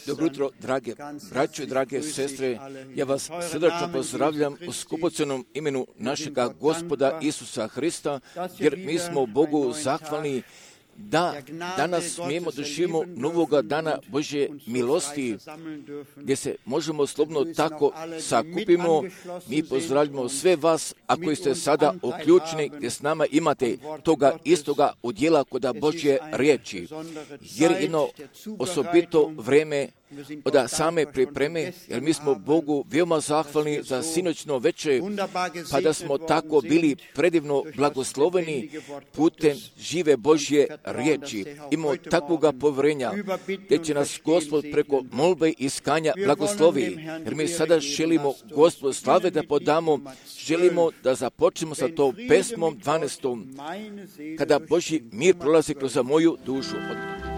Dobro jutro, drage braćo i drage sestre. Ja vas srdačno pozdravljam u skupocenom imenu našega Gospoda Isusa Hrista, jer mi smo Bogu zahvalni da danas smijemo doživimo novoga dana Božje milosti, gdje se možemo slobodno tako sakupimo. Mi pozdravljamo sve vas, a koji ste sada uključeni, gdje s nama imate toga istoga udjela kod Božje riječi, jer jedno osobito vreme od same pripreme, jer mi smo Bogu veoma zahvalni za sinoćno večer, pa da smo tako bili predivno blagosloveni putem žive Božje riječi. Imamo takvoga povjerenja, gdje će nas Gospod preko molbe i iskanja blagoslovi, jer mi sada želimo Gospodu slave da podamo, želimo da započnemo sa to pesmom 12. kada Božji mir prolazi kroz moju dušu. Amen.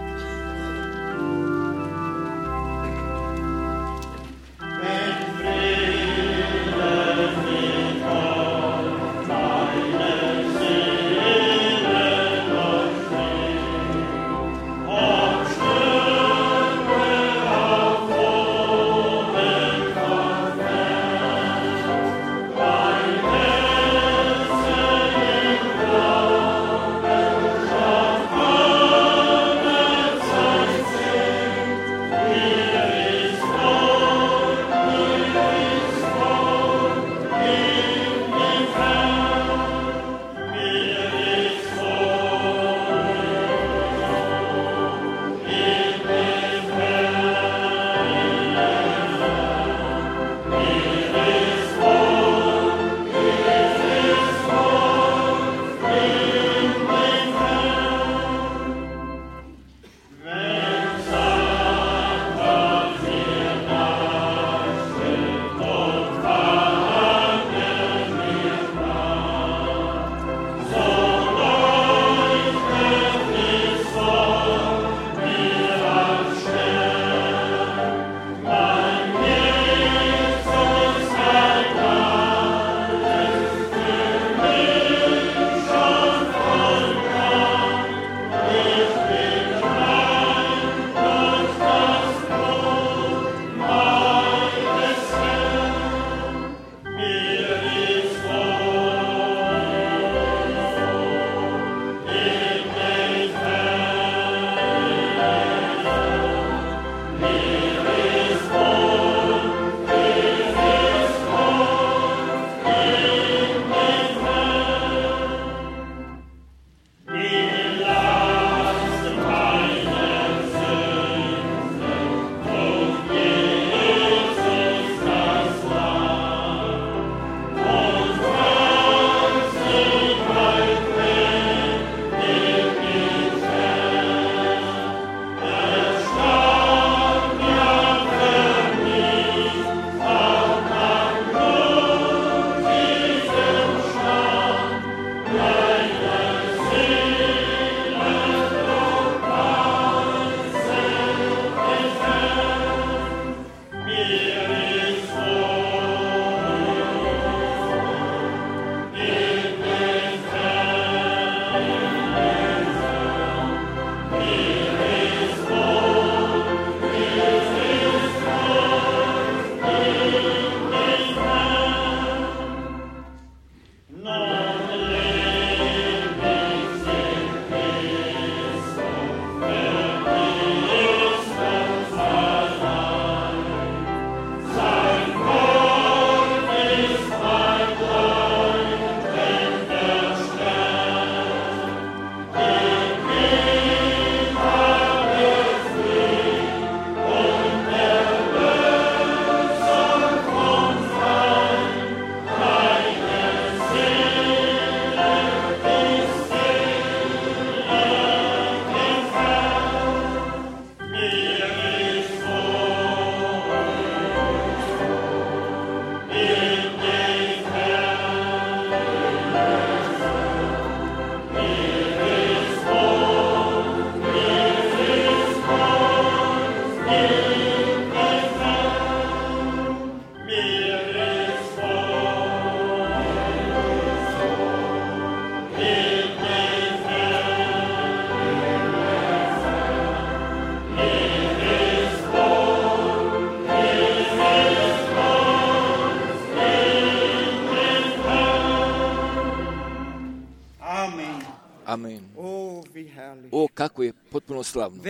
Kako je potpuno slavno.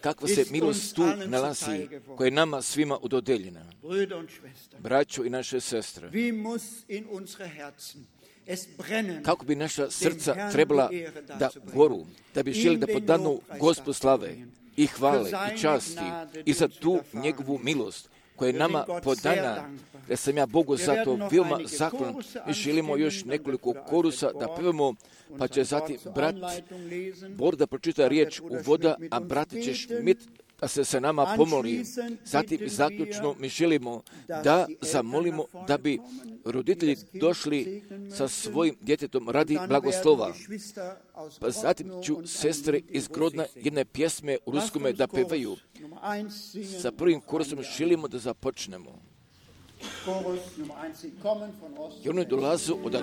Kakva se milost tu nalazi, koja je nama svima udodeljena. Braćo i naše sestre, kako bi naša srca trebala da goru, da bi želi da podanu Gospodu slave i hvale i časti i za tu njegovu milost koja je nama podana, da sam ja Bogu za to veoma zahvalan. Mi želimo još nekoliko korusa da pevamo, pa će zatim brat Bor da pročita riječ uvoda, a brat će Šmit da se sa nama pomoli. Zatim zaključno mi želimo da zamolimo da bi roditelji došli sa svojim djetetom radi blagoslova. Pa zatim ću sestre iz Grodna jedne pjesme u ruskome da pevaju. Sa prvim korusom želimo da započnemo. I oni dolazu od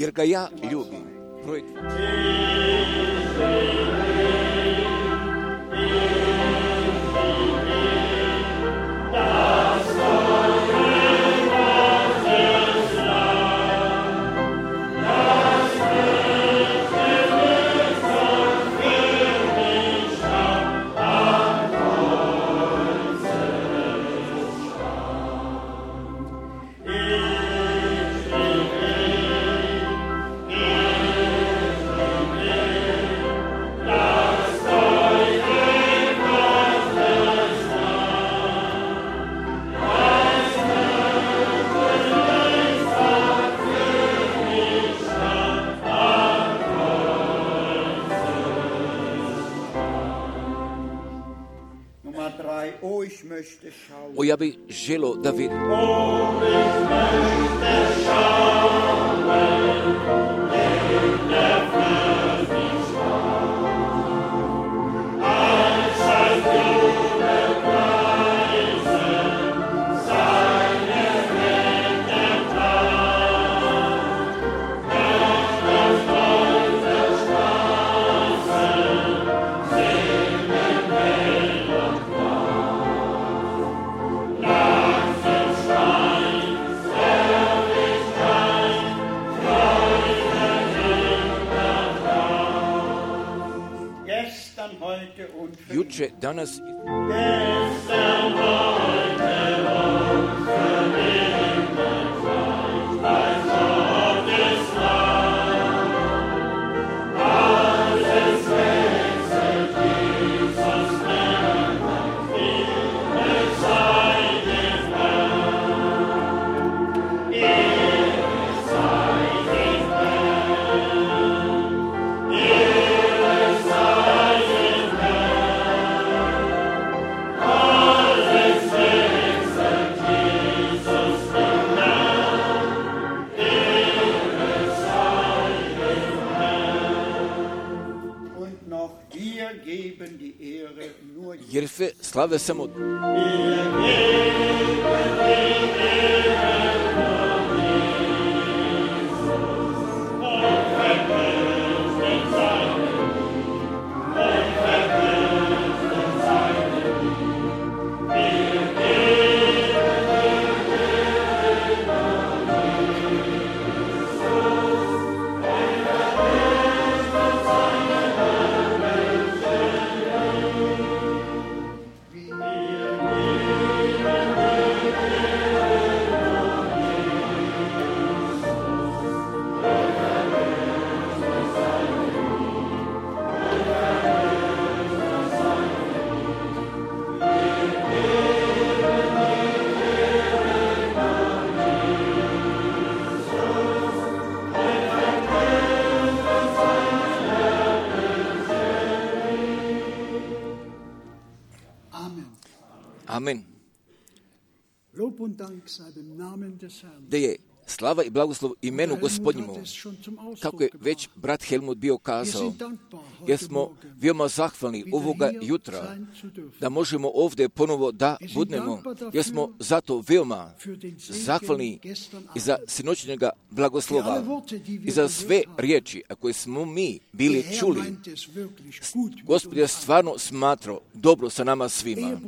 jer ga ja ljubim. Projekt. O, ja bih želio da vidim. Juče, danas jer sve slave samo Amen. Amen. Da je slava i blagoslov imenu Gospodnjemu, kako je već brat Helmut bio kazao, jer smo veoma zahvalni ovoga jutra da možemo ovdje ponovo da budnemo, jer smo zato veoma zahvalni i za sinoćnjega blagoslova i za sve riječi, a koje smo mi bili čuli. Gospod je stvarno smatrao dobro sa nama svima.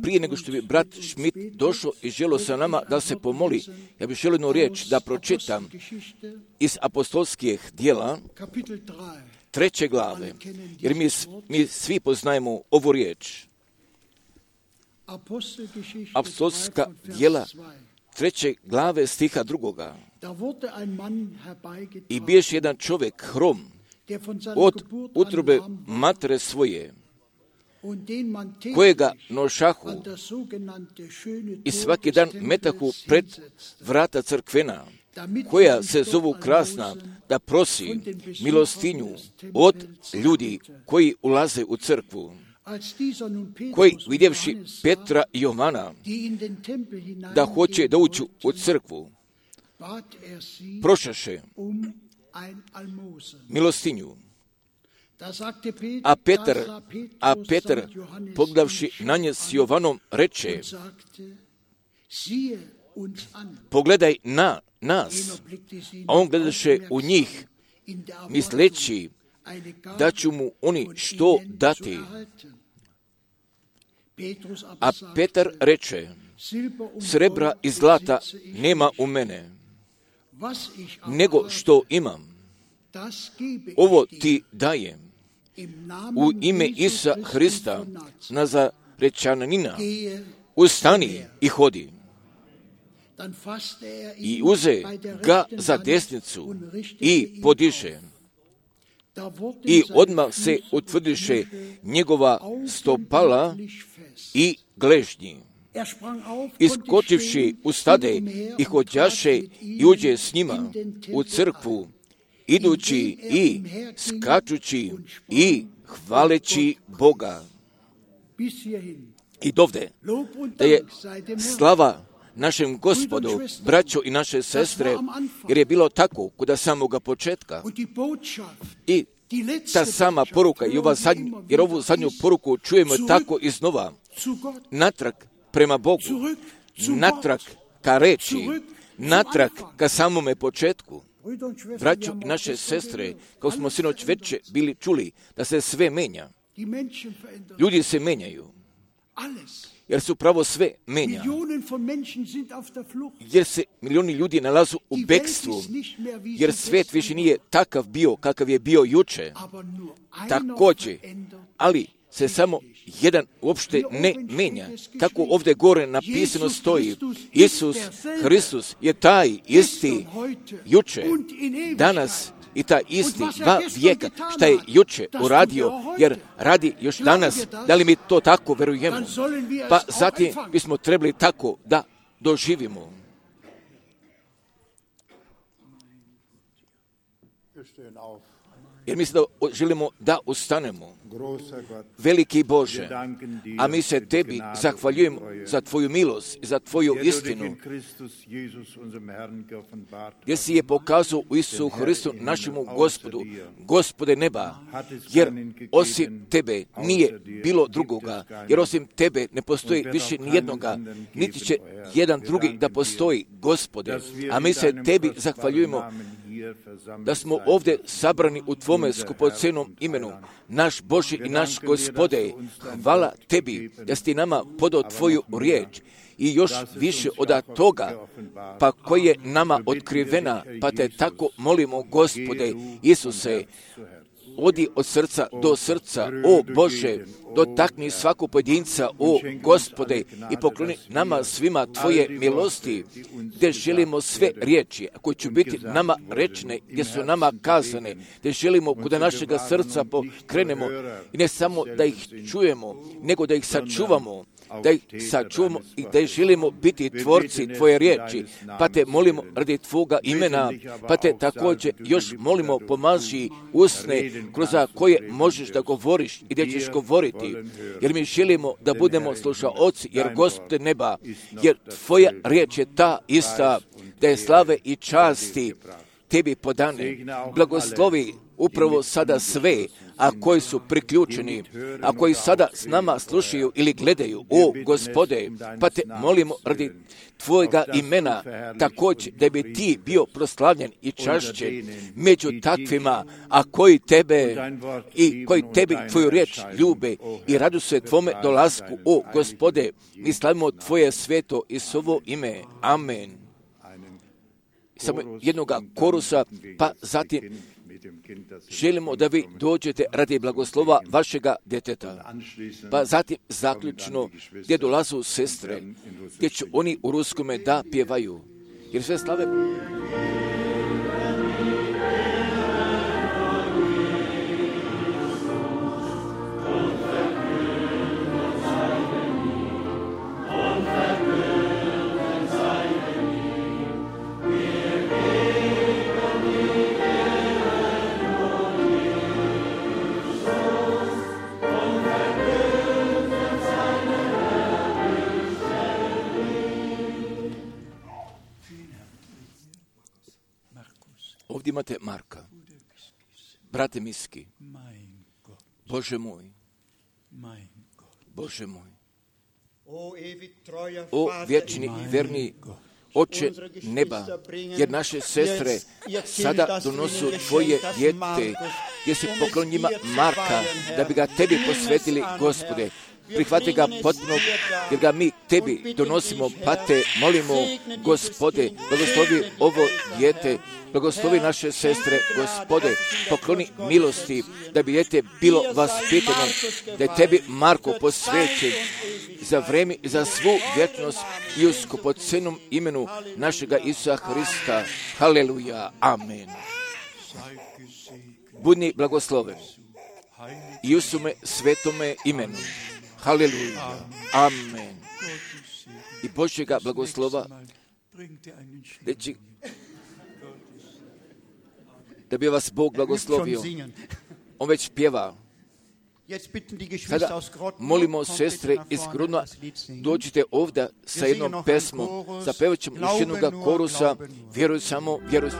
Prije nego što bi brat Schmidt došao i želio sa nama da se pomoli, ja bih želio jednu riječ da pročitam iz apostolskih djela 3. glave, jer mi svi poznajemo ovu riječ. Apostolska djela 3. glave stiha 2. I biješ jedan čovjek hrom od utrobe matere svoje, kojega nošahu i svaki dan metahu pred vrata crkvena, koja se zovu krasna, da prosi milostinju od ljudi koji ulaze u crkvu, koji vidjevši Petra i Jovana da hoće da uđu u crkvu, prošaše milostinju. A Petar, pogledavši na nje s Jovanom, reče, pogledaj na nas, a on gledaše u njih, misleći da ću mu oni što dati. A Petar reče, srebra i zlata nema u mene, nego što imam, ovo ti dajem. U ime Isusa Hrista, Nazarečanina, ustani i hodi. I uze ga za desnicu i podiže. I odmah se utvrdiše njegova stopala i gležnji. Iskočivši ustade i hodjaše i uđe s njima u crkvu, idući i skačući i hvaleći Boga. I dovde da je slava našem Gospodu, braćo i naše sestre, jer je bilo tako kod samoga početka. I ta sama poruka, jer ovu zadnju poruku čujemo tako iznova, natrag prema Bogu, natrag ka reči, natrag ka samome početku. Braćo i naše sestre, kao smo sinoć večer bili čuli, da se sve menja. Ljudi se menjaju, jer su pravo sve menja. Jer se milioni ljudi nalazu u bekstvu, jer svijet više nije takav bio kakav je bio juče. Također, ali se samo jedan uopšte ne menja. Kako ovdje gore napisano stoji, Isus Hristus je taj isti juče, danas i taj isti 2 vijeka, šta je juče uradio, jer radi još danas. Da li mi to tako verujemo? Pa zatim bismo trebali tako da doživimo. Jer mislim da želimo da ustanemo. Veliki Bože, a mi se Tebi zahvaljujemo za Tvoju milost i za Tvoju istinu, jer si je pokazao u Isusu Hristu našemu Gospodu, Gospode neba, jer osim Tebe nije bilo drugoga, jer osim Tebe ne postoji više nijednoga, niti će jedan drugi da postoji, Gospode, a mi se Tebi zahvaljujemo da smo ovdje sabrani u Tvome skupocenom imenu, naš Bože i naš Gospode. Hvala Tebi da si nama podao Tvoju riječ i još više od toga, pa koja je nama otkrivena, pa te tako molimo, Gospode Isuse, odi od srca do srca, o Bože, dotakni svakog pojedinca, o Gospode, i pokloni nama svima Tvoje milosti, gdje želimo sve riječi, koje će biti nama rečne, gdje su nama kazane, gdje želimo kod našega srca pokrenemo, i ne samo da ih čujemo, nego da ih sačuvamo, da ih sačuvamo i da želimo biti tvorci Tvoje riječi, pa Te molimo radi Tvoga imena, pa Te također još molimo pomaži usne kroz koje možeš da govoriš i da ćeš govoriti, jer mi želimo da budemo slušaoci, jer Gospode neba, jer Tvoja riječ je ta ista, da je slave i časti Tebi podane. Blagoslovi upravo sada sve, a koji su priključeni, a koji sada s nama slušaju ili gledaju, o Gospode, pa Te molimo radi Tvojega imena, također da bi Ti bio proslavljen i čašćen među takvima, a koji Tebe i koji Tebi Tvoju riječ ljube i radu se Tvome dolasku, o Gospode, mi slavimo Tvoje sveto i svoje ime. Amen. Samo jednoga korusa, pa zatim želimo da vi dođete radi blagoslova vašega djeteta. Pa zatim zaključno gdje dolazu sestre, gdje će oni u ruskome da pjevaju. Jer sve slave... Ovdje imate Marka, brate Miski, Bože moj, Bože moj, o vječni i verni Oče neba, jer naše sestre sada donosu Tvoje dijete, gdje se poklon njima Marka, da bi ga Tebi posvetili, Gospode. Prihvati ga potpuno, jer ga mi Tebi donosimo, pa Te molimo, Gospode, blagoslovi ovo dijete, blagoslovi naše sestre, Gospode, pokloni milosti, da bi dijete bilo vaspitano, da je Tebi Marko posvećen za vrijeme i za svu vječnost i u skupocenom imenu našega Isusa Hrista. Haleluja, amen. Budni blagosloven i u sume svetome imenu. Haleluja, amen. I Božjega blagoslova, da bi vas Bog blagoslovio. On već pjeva. Sada molimo sestre iz Grudna, dođite ovdje sa jednom pesmom, zapevat ćemo još jednoga korusa, vjeruj samo, vjeruj.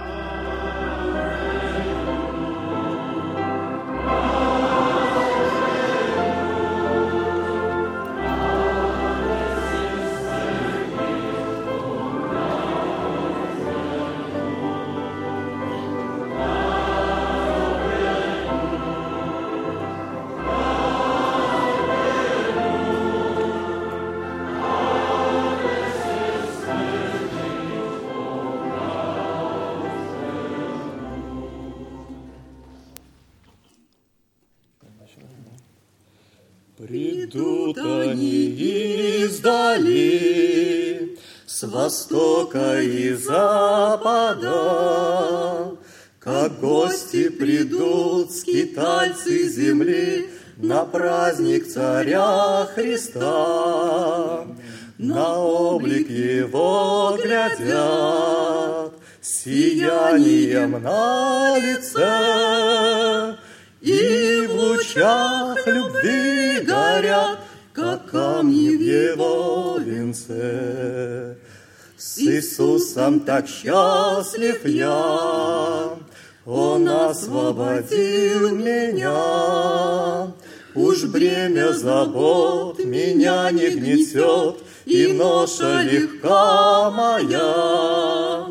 Придут они издали, с востока и запада, как гости придут скитальцы земли на праздник Царя Христа. На облик Его глядят, сиянием на лице, и в лучах любви горят, как камни в Его венце. С Иисусом так счастлив я, Он освободил меня. Уж бремя забот меня не гнетет, и ноша легка моя.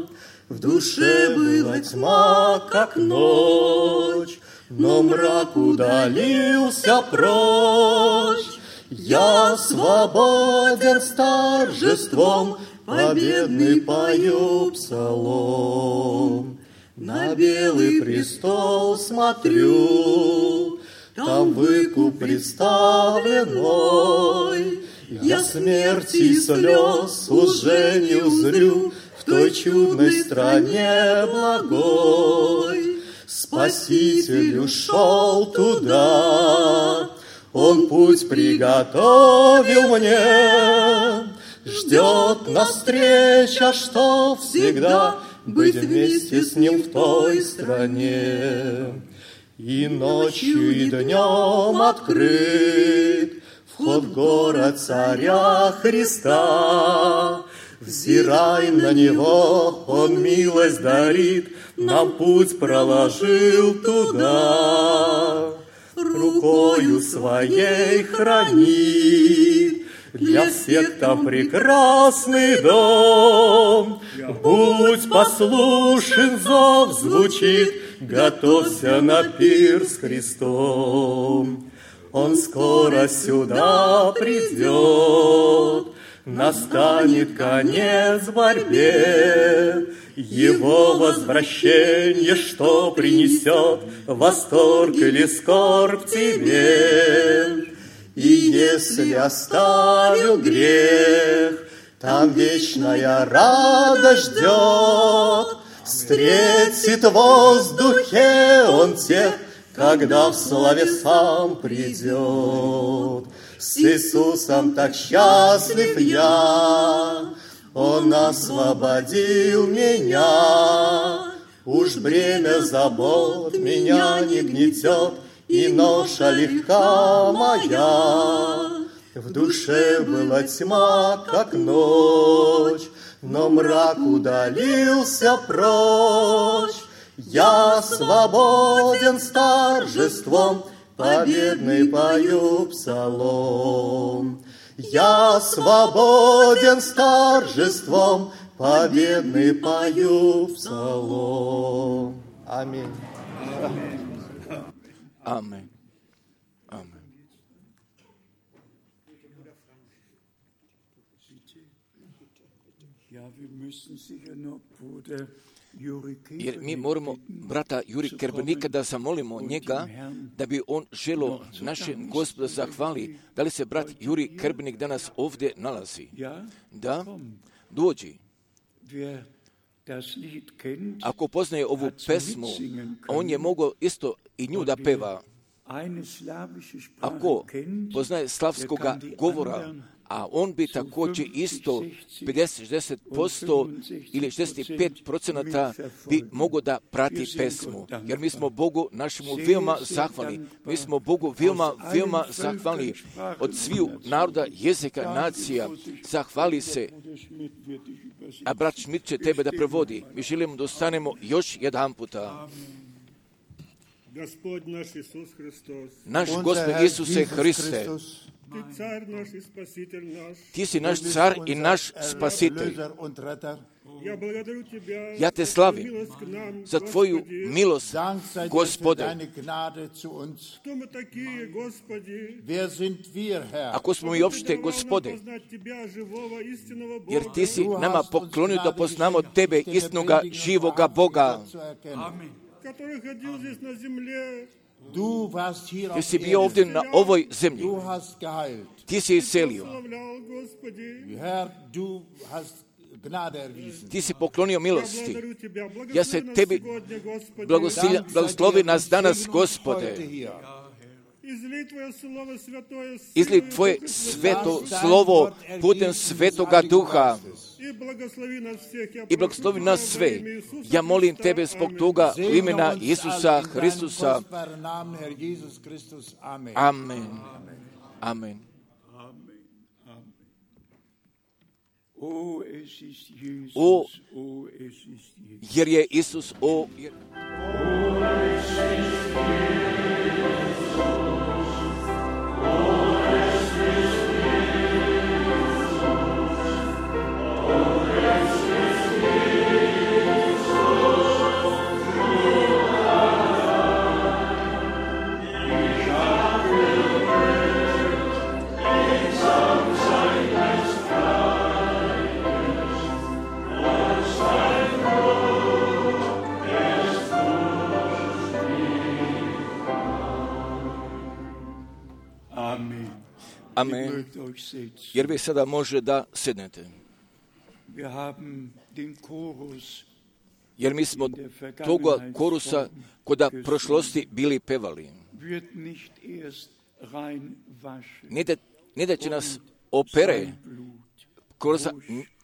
В душе была тьма, как ночь, но мрак удалился прочь. Я свободен с торжеством, победный пою псалом. На белый престол смотрю, там выкуп представлен мой. Я смерти и слез уже не узрю в той чудной стране благой. Спаситель ушел туда, Он путь приготовил мне. Ждет нас встреча, что всегда быть вместе с Ним в той стране. И ночью, и днем открыт вход в город Царя Христа. Взирай на Него, Он милость дарит, нам путь проложил туда. Рукою Своей хранит для всех там прекрасный дом. Будь послушен, зов звучит, готовься на пир с Христом. Он скоро сюда придет, настанет конец борьбе. Его возвращение, что принесет восторг или скорбь тебе. И если оставил грех, там вечная радость ждет. Встретит в воздухе Он тех, когда в славе сам придет. С Иисусом так счастлив я, Он освободил меня. Уж бремя забот меня не гнетет, и ноша легка моя. В душе была тьма, как ночь, но мрак удалился прочь. Я свободен с торжеством, победный пою псалом. Я свободен с торжеством, победный пою псалом. Аминь. Amen. Amen. Jer mi moramo brata Juri Kerbenika da zamolimo njega da bi on želio našem Gospodu zahvali. Da li se brat Juri Kerbenik danas ovdje nalazi? Da, dođi. Ako poznaje ovu pesmu, on je mogao isto i nju da peva. Ako poznaje slavskoga govora, a on bi također isto 50-60% ili 65% bi mogao da prati pesmu. Jer mi smo Bogu našemu veoma zahvalni. Mi smo Bogu veoma zahvalni od sviju naroda, jezika, nacija. Zahvali se. A brat Schmidt će tebe da prevodi. Mi želimo da ostanemo još jedan puta. Naš Gospod Isuse Hriste, Ti si naš car i naš spasitelj. Ja te slavim za Tvoju milost, Gospode. Ako smo mi opšte, Gospode, jer Ti si nama poklonio da poznamo Tebe, istinoga, živoga Boga. Ti si bio ovdje na ovoj zemlji. Ti si iscelio. Ti si poklonio milosti. Ja se Tebi blagoslovi nas danas, Gospode. Izli Tvoje sveto slovo putem Svetoga Duha i blagoslovi nas sve. Ja molim Tebe zbog toga u imena Isusa Hristusa. Amen. Amen. O, jer je Isus, Amen. Jer vi sada može da sednete. Jer mi smo toga korusa koda prošlosti bili pevali. ne da će nas opere,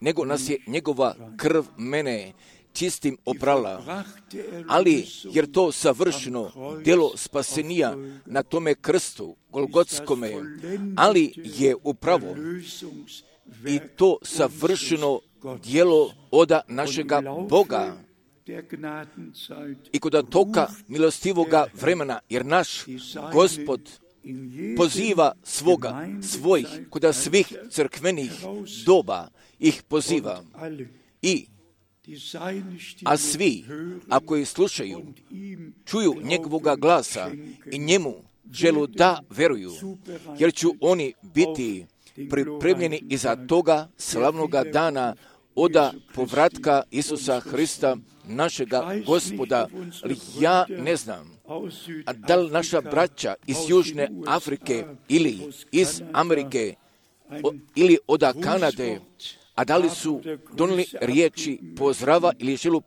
nego nas je njegova krv mene čistim oprala, ali jer to savršeno djelo spasenija na tome krstu golgotskome, ali je upravo i to savršeno djelo oda našega Boga i kod toga milostivoga vremena, jer naš Gospod poziva svojih, kod svih crkvenih doba ih poziva. A svi, ako ih slušaju, čuju njegovoga glasa i njemu želu da veruju, jer ću oni biti pripremljeni iza toga slavnoga dana oda povratka Isusa Hrista, našega Gospoda. Ali ja ne znam, a da li naša braća iz Južne Afrike ili iz Amerike ili oda Kanade, a da li su donijeli riječi pozdrava ili želu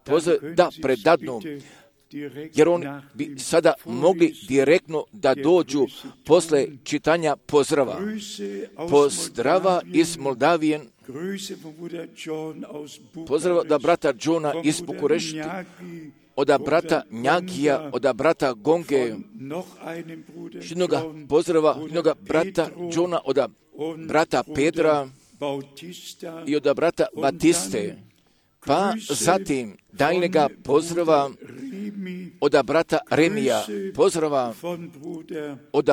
da predadnu, jer oni bi sada mogli direktno da dođu posle čitanja pozdrava. Pozdrava iz Moldavije, pozdrava od brata Johna iz Bukurešti, od brata Njagija, od brata Gonge, jednoga pozdrava, jednoga brata Johna, od brata Pedra i od brata Batiste, pa zatim daljnjega pozdrava od brata Remija, pozdrava od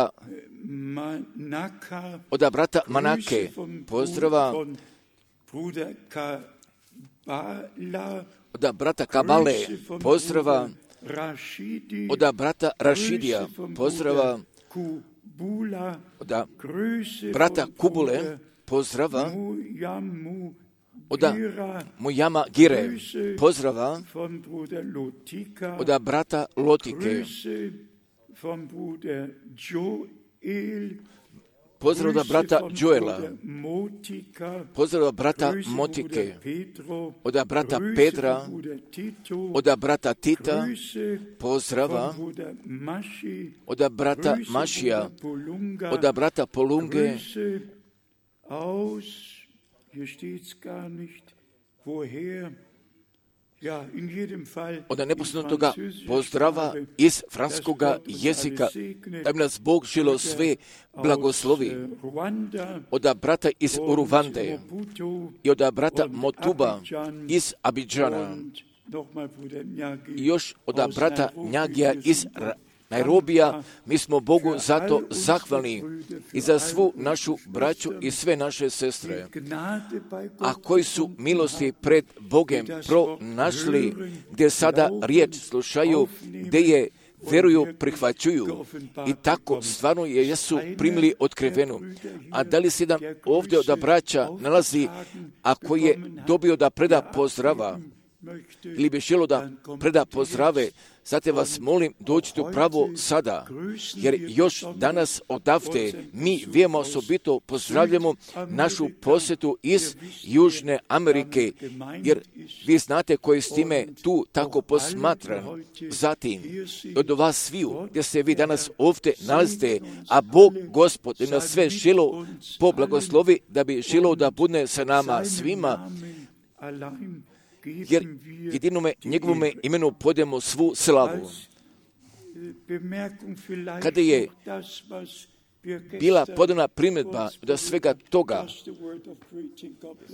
brata Manake, pozdrava od brata Kabale, pozdrava od brata Rašidija, pozdrava od brata Kubule, pozdrava od Mujama Gire, pozdrava od brata Lotike, pozdrav od brata Joela, pozdrav od brata Motike, od brata Pedra, od brata Tita, pozdrava od brata Mašija, od brata Polunge, od neposrednoga pozdrava iz francuskoga jezika, da bi nas Bog želo sve blagoslovi, od brata iz Uruvande i od brata Motuba iz Abidžana i još od brata Njagija iz Nairobija. Mi smo Bogu zato zahvalni i za svu našu braću i sve naše sestre, a koji su milosti pred Bogem pronašli, gdje sada riječ slušaju, gdje je veruju, prihvaćuju i tako stvarno jesu primili otkrivenu. A da li se jedan ovdje od braća nalazi, a koji je dobio da preda pozdrava ili bi želo da preda pozdrave, zato vas molim, dođite upravo sada, jer još danas odavde mi vijemo osobito pozdravljamo našu posjetu iz Južne Amerike, jer vi znate koji s time tu tako posmatran. Zatim, od vas sviju, gdje se vi danas ovdje nalazite, a Bog, Gospod, nas sve želo poblagoslovi, da bi želo da bude sa nama svima, jer jedinome njegovome imenu podemo svu slavu. Kada je bila podana primjedba da svega toga,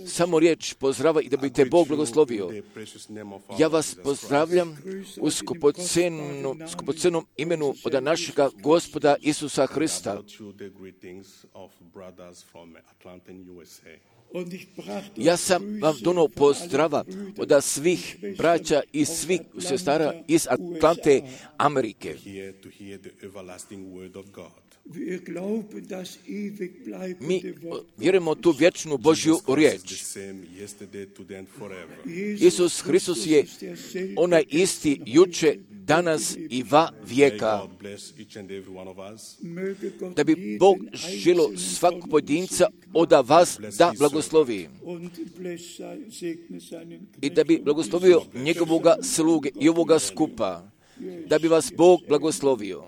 samo riječ pozdrava i da bi te Bog blagoslovio. Ja vas pozdravljam u skupocenom imenu od našega Gospoda Isusa Hrista. Ja sam vam donio pozdrava od svih braća i svih sestara iz Atlante, Amerike. Mi vjerujemo tu vječnu Božju riječ. Isus Hristos je onaj isti juče, danas i va vijeka. Da bi Bog želo svakog pojedinca od vas da blagoslovi. I da bi blagoslovio njegovoga sluge i ovoga skupa. Da bi vas Bog blagoslovio.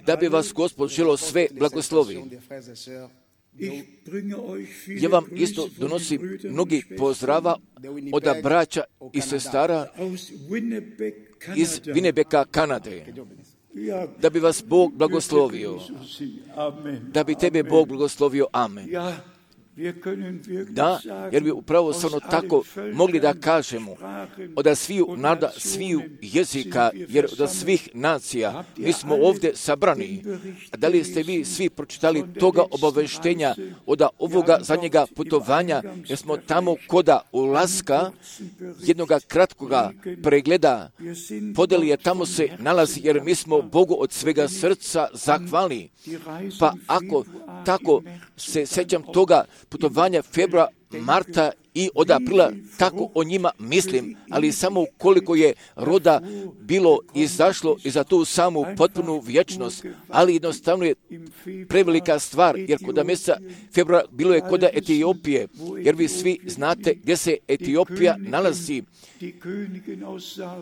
Da bi vas Gospod želo sve blagoslovi. Ja vam isto donosim mnogi pozdrava od braća i sestara iz Winnebeka, Kanade. Da bi vas Bog blagoslovio. Da bi tebe Bog blagoslovio. Amen. Da, jer bi upravo samo tako mogli da kažemo od sviju naroda, sviju jezika, jer od svih nacija mi smo ovdje sabrani. Da li ste vi svi pročitali toga obaveštenja od ovoga zadnjega putovanja, jer smo tamo koda ulaska jednoga kratkoga pregleda podeli je tamo se nalazi, jer mi smo Bogu od svega srca zahvalni. Pa ako tako se sjećam toga putovanja februara, marta i od aprila, tako o njima mislim, ali samo koliko je roda bilo izašlo i za tu samu potpunu vječnost, ali jednostavno je prevelika stvar, jer kod mjeseca februara bilo je kod Etiopije, jer vi svi znate gdje se Etiopija nalazi.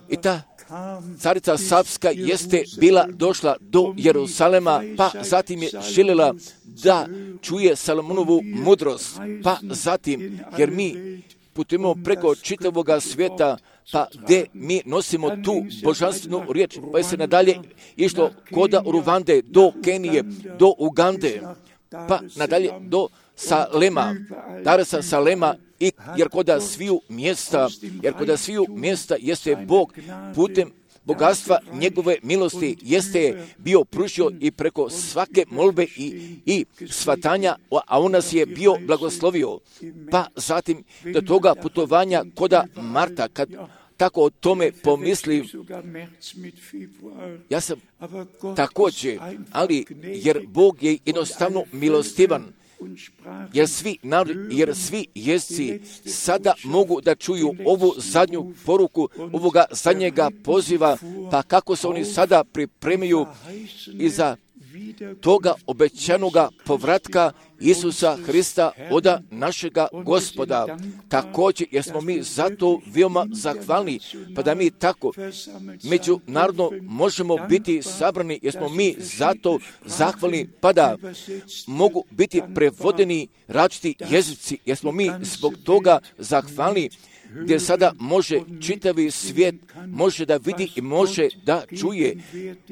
I ta carica Savska jeste bila došla do Jerusalema, pa zatim je željela da čuje Salomonovu mudrost, pa zatim, jer mi putujemo preko čitavoga svijeta, pa gdje mi nosimo tu božanstvenu riječ, pa je se nadalje išlo koda Ruvande, do Kenije, do Ugande, pa nadalje do Salema, Daresa Salema, jer koda sviju mjesta jeste Bog putem bogatstva njegove milosti jeste bio pružio i preko svake molbe i svatanja, a on nas je bio blagoslovio. Pa zatim do toga putovanja koda marta, kad tako o tome pomislim, ja sam također, ali jer Bog je jednostavno milostivan, jer svi jezici sada mogu da čuju ovu zadnju poruku, ovoga zadnjega poziva, pa kako se oni sada pripremaju iza toga obećanoga povratka Isusa Hrista od našega Gospoda. Također, jer smo mi zato veoma zahvalni, pa da mi tako međunarodno možemo biti sabrani, jer smo mi zato zahvalni, pa da mogu biti prevodeni različiti jezici, jer smo mi zbog toga zahvalni, gdje sada može čitavi svijet može da vidi i može da čuje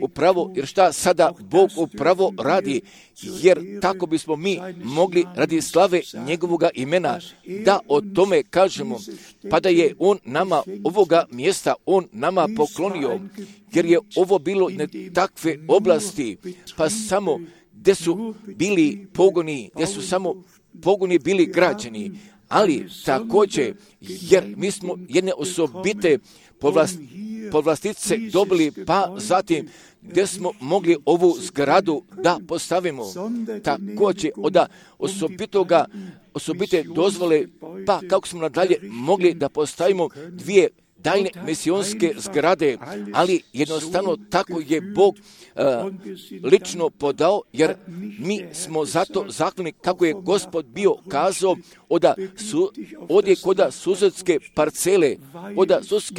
upravo, jer šta sada Bog upravo radi, jer tako bismo mi mogli radi slave njegovoga imena da o tome kažemo, pa da je on nama ovoga mjesta, on nama poklonio, jer je ovo bilo ne takve oblasti, pa samo gdje su bili pogoni, gdje su samo pogoni bili građeni, ali također, jer mi smo jedne osobite povlastice dobili, pa zatim gdje smo mogli ovu zgradu da postavimo. Također, od osobite dozvole, pa kako smo nadalje mogli da postavimo dvije daljne misionske zgrade, ali jednostavno tako je Bog lično podao, jer mi smo zato zahvalni kako je Gospod bio kazao odje koda Suzetske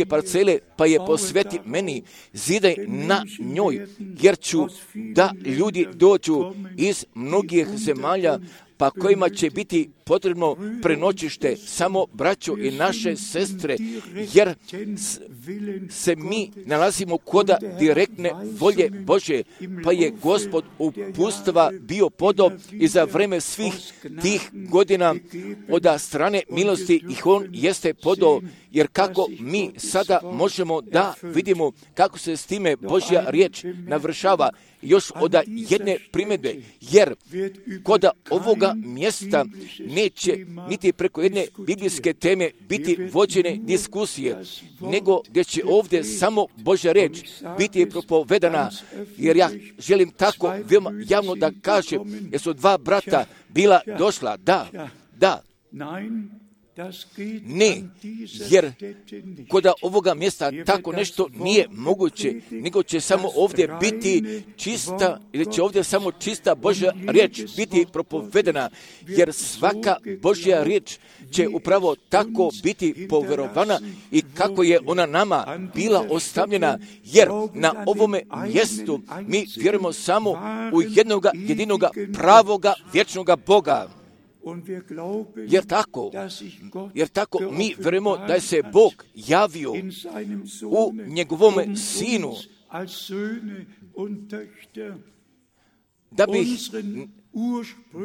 parcele, pa je posveti meni, zidaj na njoj, jer ću da ljudi dođu iz mnogih zemalja, pa kojima će biti potrebno prenoćište, samo braćo i naše sestre, jer se mi nalazimo koda direktne volje Bože, pa je Gospod upustva bio podao i za vreme svih tih godina od strane milosti ih on jeste podao, jer kako mi sada možemo da vidimo kako se s time Božja riječ navršava, još od jedne primjedbe, jer koda ovoga mjesta neće niti preko jedne biblijske teme biti vođene diskusije, nego gdje će ovdje samo Božja riječ biti propovedana, jer ja želim tako veoma javno da kažem, jer su dva brata bila došla, da, Ne, jer kod ovoga mjesta tako nešto nije moguće, nego će samo ovdje biti čista, ili će ovdje samo čista Božja riječ biti propovedena, jer svaka Božja riječ će upravo tako biti povjerovana i kako je ona nama bila ostavljena, jer na ovome mjestu mi vjerujemo samo u jednoga jedinoga pravoga vječnoga Boga. Jer tako mi vjerujemo da se Bog javio u njegovome Sinu,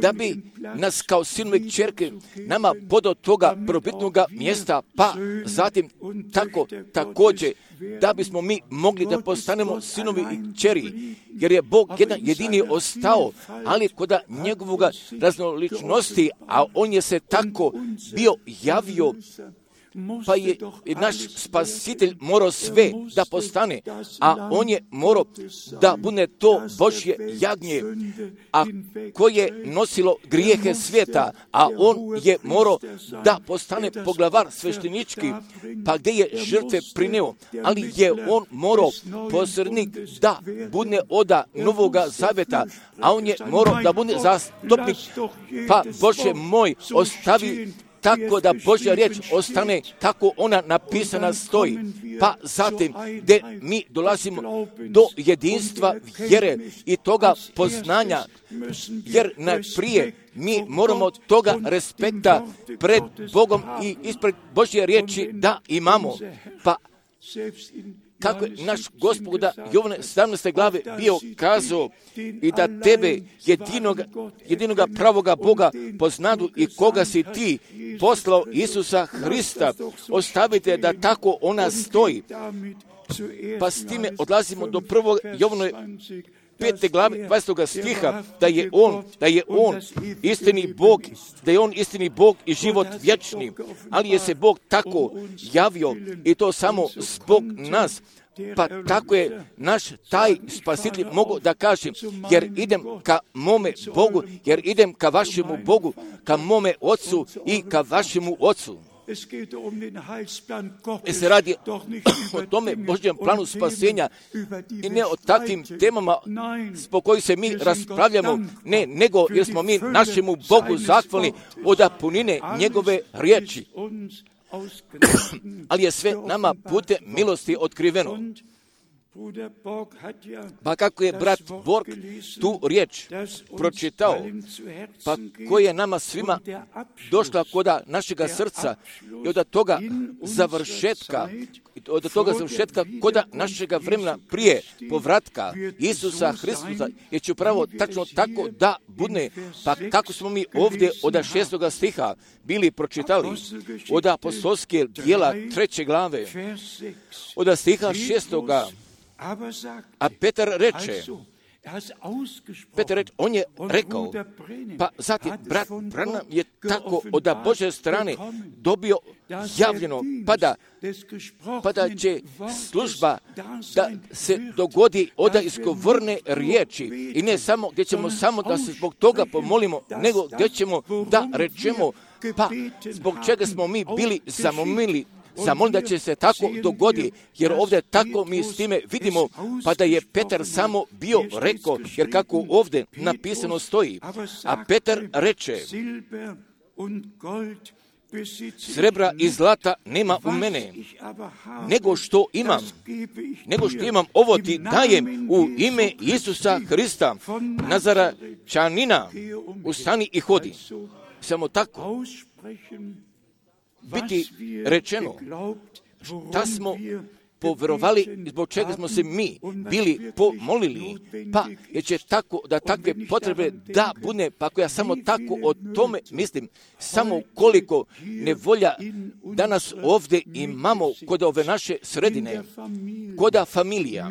da bi nas kao sinovi i kćerke nama podao toga prvobitnoga mjesta, pa zatim također da bismo mi mogli da postanemo sinovi i kćeri, jer je Bog jedan jedini ostao, ali kod njegovoga raznoličnosti, a on je se tako bio javio, pa je naš spasitelj morao sve da postane, a on je morao da bude to Božje jagnje, a koje nosilo grijehe svijeta, a on je morao da postane poglavar sveštenički, pa gdje je žrtve prineo, ali je on morao posrednik da bude oda Novoga Zaveta, a on je morao da bude zastupnik, pa Bože moj, ostavi tako da Božja riječ ostane, tako ona napisana stoji. Pa zatim, gdje mi dolazimo do jedinstva vjere i toga poznanja, jer najprije mi moramo toga respekta pred Bogom i ispred Božje riječi da imamo. Pa kako je naš Gospod Jovane 17. glave bio kazao i da tebe jedinoga pravoga Boga poznadu i koga si ti poslao Isusa Hrista, ostavite da tako ona stoji. Pa s time odlazimo do 1. Jovanove 5. glave 20. stiha, da je on istini Bog i život vječni, ali je se Bog tako javio i to samo zbog nas. Pa tako je naš taj spasitelj mogu da kažem, jer idem ka mome Bogu, jer idem ka vašemu Bogu, ka mome Ocu i ka vašemu Ocu. Se radi o tome Božjem planu spasenja i ne o takvim temama po kojih se mi raspravljamo, ne, nego jer smo mi našemu Bogu zahvalni od punine njegove riječi. Ali je sve nama putem milosti otkriveno. Pa kako je brat Borg tu riječ pročitao, pa koja je nama svima došla kod našega srca i od toga završetka kod našega vremena prije povratka Isusa Hristusa, jer će upravo tačno tako da bude. Pa kako smo mi ovdje od 6. stiha bili pročitali, od apostolske djela 3. glave, od stiha 6. A Petar reče, on je rekao, pa zatim brat Branham je tako od Božje strane dobio javljeno, pa da će služba da se dogodi od izgovorne riječi i ne samo gdje ćemo samo da se zbog toga pomolimo, nego gdje ćemo da rečemo, pa zbog čega smo mi bili zamolili da će se tako dogodi, jer ovdje tako mi s time vidimo, pa da je Petar samo bio rekao, jer kako ovdje napisano stoji, a Petar reče, srebra i zlata nema u mene, nego što imam, ovo ti dajem u ime Isusa Hrista, Nazaračanina, ustani i hodi. Samo tako biti rečeno, da smo povjerovali, zbog čega smo se mi bili pomolili, pa jer će tako da takve potrebe da bude, pa ako ja samo tako o tome mislim, samo koliko nevolja danas ovdje imamo kod ove naše sredine, kod familija,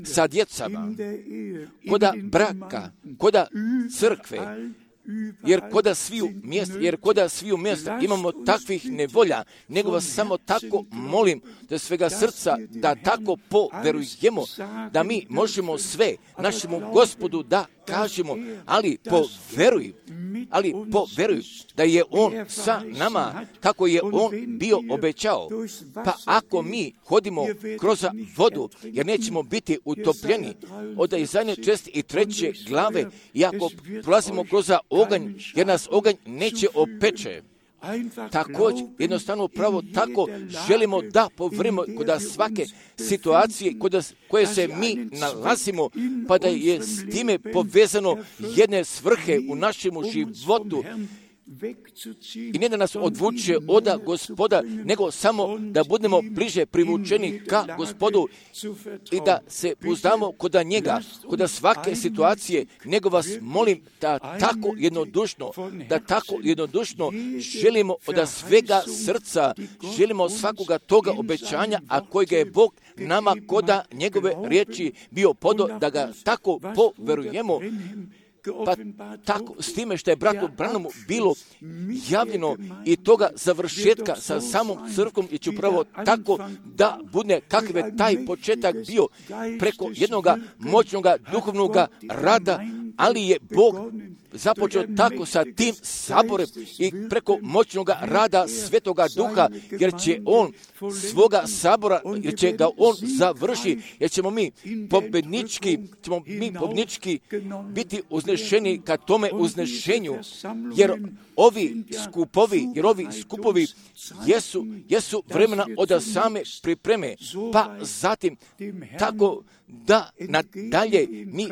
sa djecama, kod braka, kod crkve, jer koda sviju mjesta imamo takvih nevolja, nego vas samo tako molim da svega srca da tako poverujemo, da mi možemo sve našemu Gospodu da kažemo, ali poveruj ali poveruj da je on sa nama, kako je on bio obećao. Pa ako mi hodimo kroz vodu, jer nećemo biti utopljeni, od Izaije 63. glave, i ako prolazimo kroz oganj, jer nas oganj neće opeče. Također, jednostavno pravo tako želimo da povrimo kod svake situacije koje se mi nalazimo, pa da je s time povezano jedne svrhe u našem životu. I ne da nas odvuče od Gospoda, nego samo da budemo bliže privučeni ka Gospodu i da se uzdamo kod njega, kod svake situacije, nego vas molim da tako jednodušno želimo od svega srca, želimo svakoga toga obećanja, a kojega je Bog nama kod njegove riječi bio podo, da ga tako poverujemo. Pa tako, s time što je bratu Branhamu bilo javljeno i toga završetka sa samom crkvom, i ću upravo tako da bude kakav je taj početak bio preko jednog moćnog duhovnog rada, ali je Bog započeo tako sa tim saborem i preko moćnog rada Svetoga Duha, jer će on svoga sabora, jer će ga on završi, jer ćemo mi pobednički biti uznešeni ka tome uznešenju, jer ovi skupovi jesu vremena od same pripreme, pa zatim tako da nadalje mi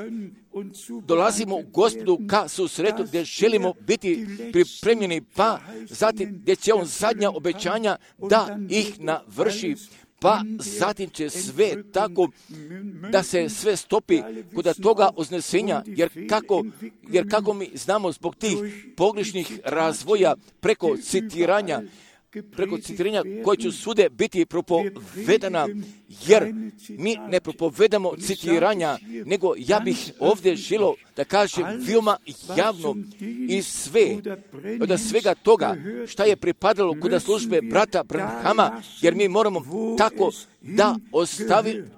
dolazimo u Gospodu ka susretu gdje želimo biti pripremljeni, pa zatim gdje će on zadnja obećanja da ih navrši, pa zatim će sve tako da se sve stopi kod toga uznesenja, jer kako mi znamo zbog tih pogrešnih razvoja preko citiranja koje će svude biti propovedana, jer mi ne propovedamo citiranja, nego ja bih ovdje želio da kažem veoma javno i od svega toga šta je pripadalo kod službe brata Branhama, jer mi moramo tako da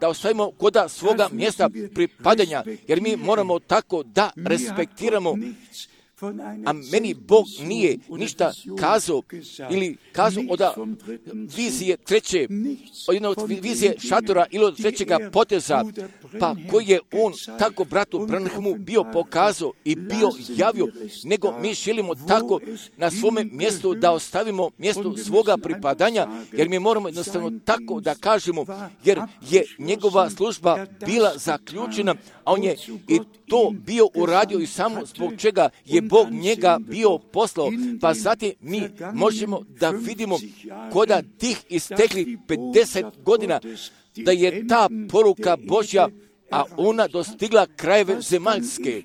ostavimo kod svoga mjesta pripadanja, jer mi moramo tako da respektiramo. A meni Bog nije ništa kazao od vizije treće, od vizije šatora ili od trećega poteza, pa koji je on tako bratu Branhamu bio pokazao i bio javio, nego mi želimo tako na svome mjestu da ostavimo mjesto svoga pripadanja, jer mi moramo jednostavno tako da kažemo, jer je njegova služba bila zaključena, a on je i to bio uradio i samo zbog čega je Bog njega bio poslao, pa zatim mi možemo da vidimo kod tih istekli 50 godina da je ta poruka Božja, a ona dostigla krajeve zemaljske.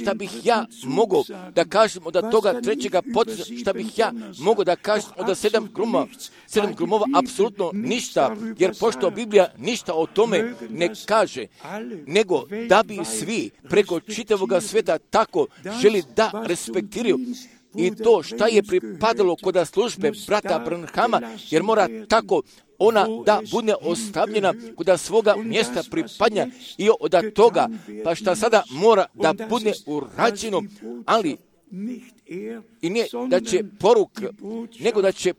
Šta bih ja mogao da kažem od toga trećega poteza, šta bih ja mogao da kažem od 7 grumova, apsolutno ništa, jer pošto Biblija ništa o tome ne kaže, nego da bi svi preko čitavog sveta tako želi da respektiraju i to šta je pripadalo kod službe brata Branhama, jer mora tako ona da bude ostavljena kod svoga mjesta pripadanja i od toga, pa šta sada mora da bude urađeno, ali i ne da će poruka, nego da će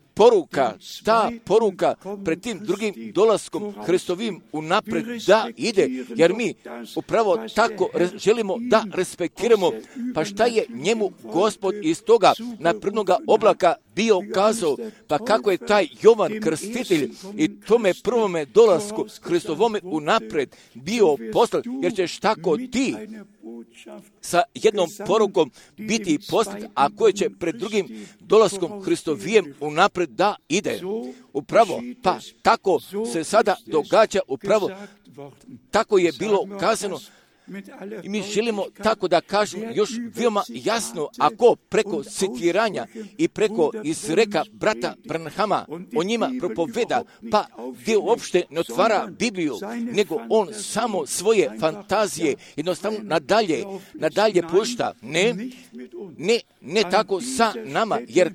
ta poruka pred tim drugim dolaskom Hristovim unapred da ide, jer mi upravo tako želimo da respektiramo, pa šta je njemu Gospod iz toga naprednoga oblaka bio kazao, pa kako je taj Jovan Krstitelj i tome prvome dolasku Hristovome unapred bio poslan, jer ćeš tako ti sa jednom porukom biti poslat, a koje će pred drugim dolaskom Hristovijem unapred da ide. Upravo, pa tako se sada događa, upravo tako je bilo kazano. I mi želimo tako da kažemo još veoma jasno, ako preko citiranja i preko izreka brata Branhama o njima propoveda, pa gdje uopšte ne otvara Bibliju, nego on samo svoje fantazije jednostavno nadalje pušta. Ne tako sa nama, jer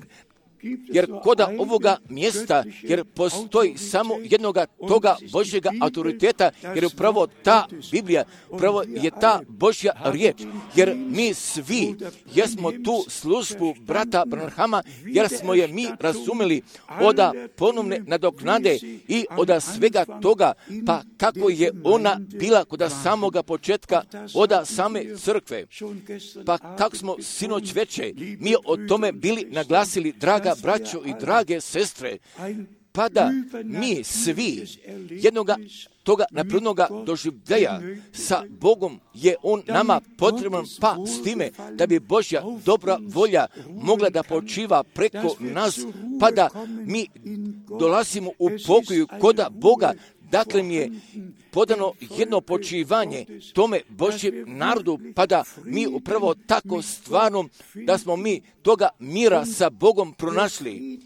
jer koda ovoga mjesta, jer postoji samo jednoga toga Božjega autoriteta, jer upravo ta Biblija, upravo je ta Božja riječ, jer mi svi jesmo tu službu brata Branhama, jer smo je mi razumjeli oda ponovne nadoknade i oda svega toga, pa kako je ona bila kod samoga početka oda same crkve. Pa kako smo sinoć veče mi o tome bili naglasili, draga braćo i drage sestre, pa da mi svi jednoga toga naprednoga doživljaja sa Bogom je On nama potreban, pa s time da bi Božja dobra volja mogla da počiva preko nas, pa da mi dolazimo u pokoju koda Boga. Dakle, mi je podano jedno počivanje tome Božjem narodu, pa da mi upravo tako stvarno, da smo mi toga mira sa Bogom pronašli.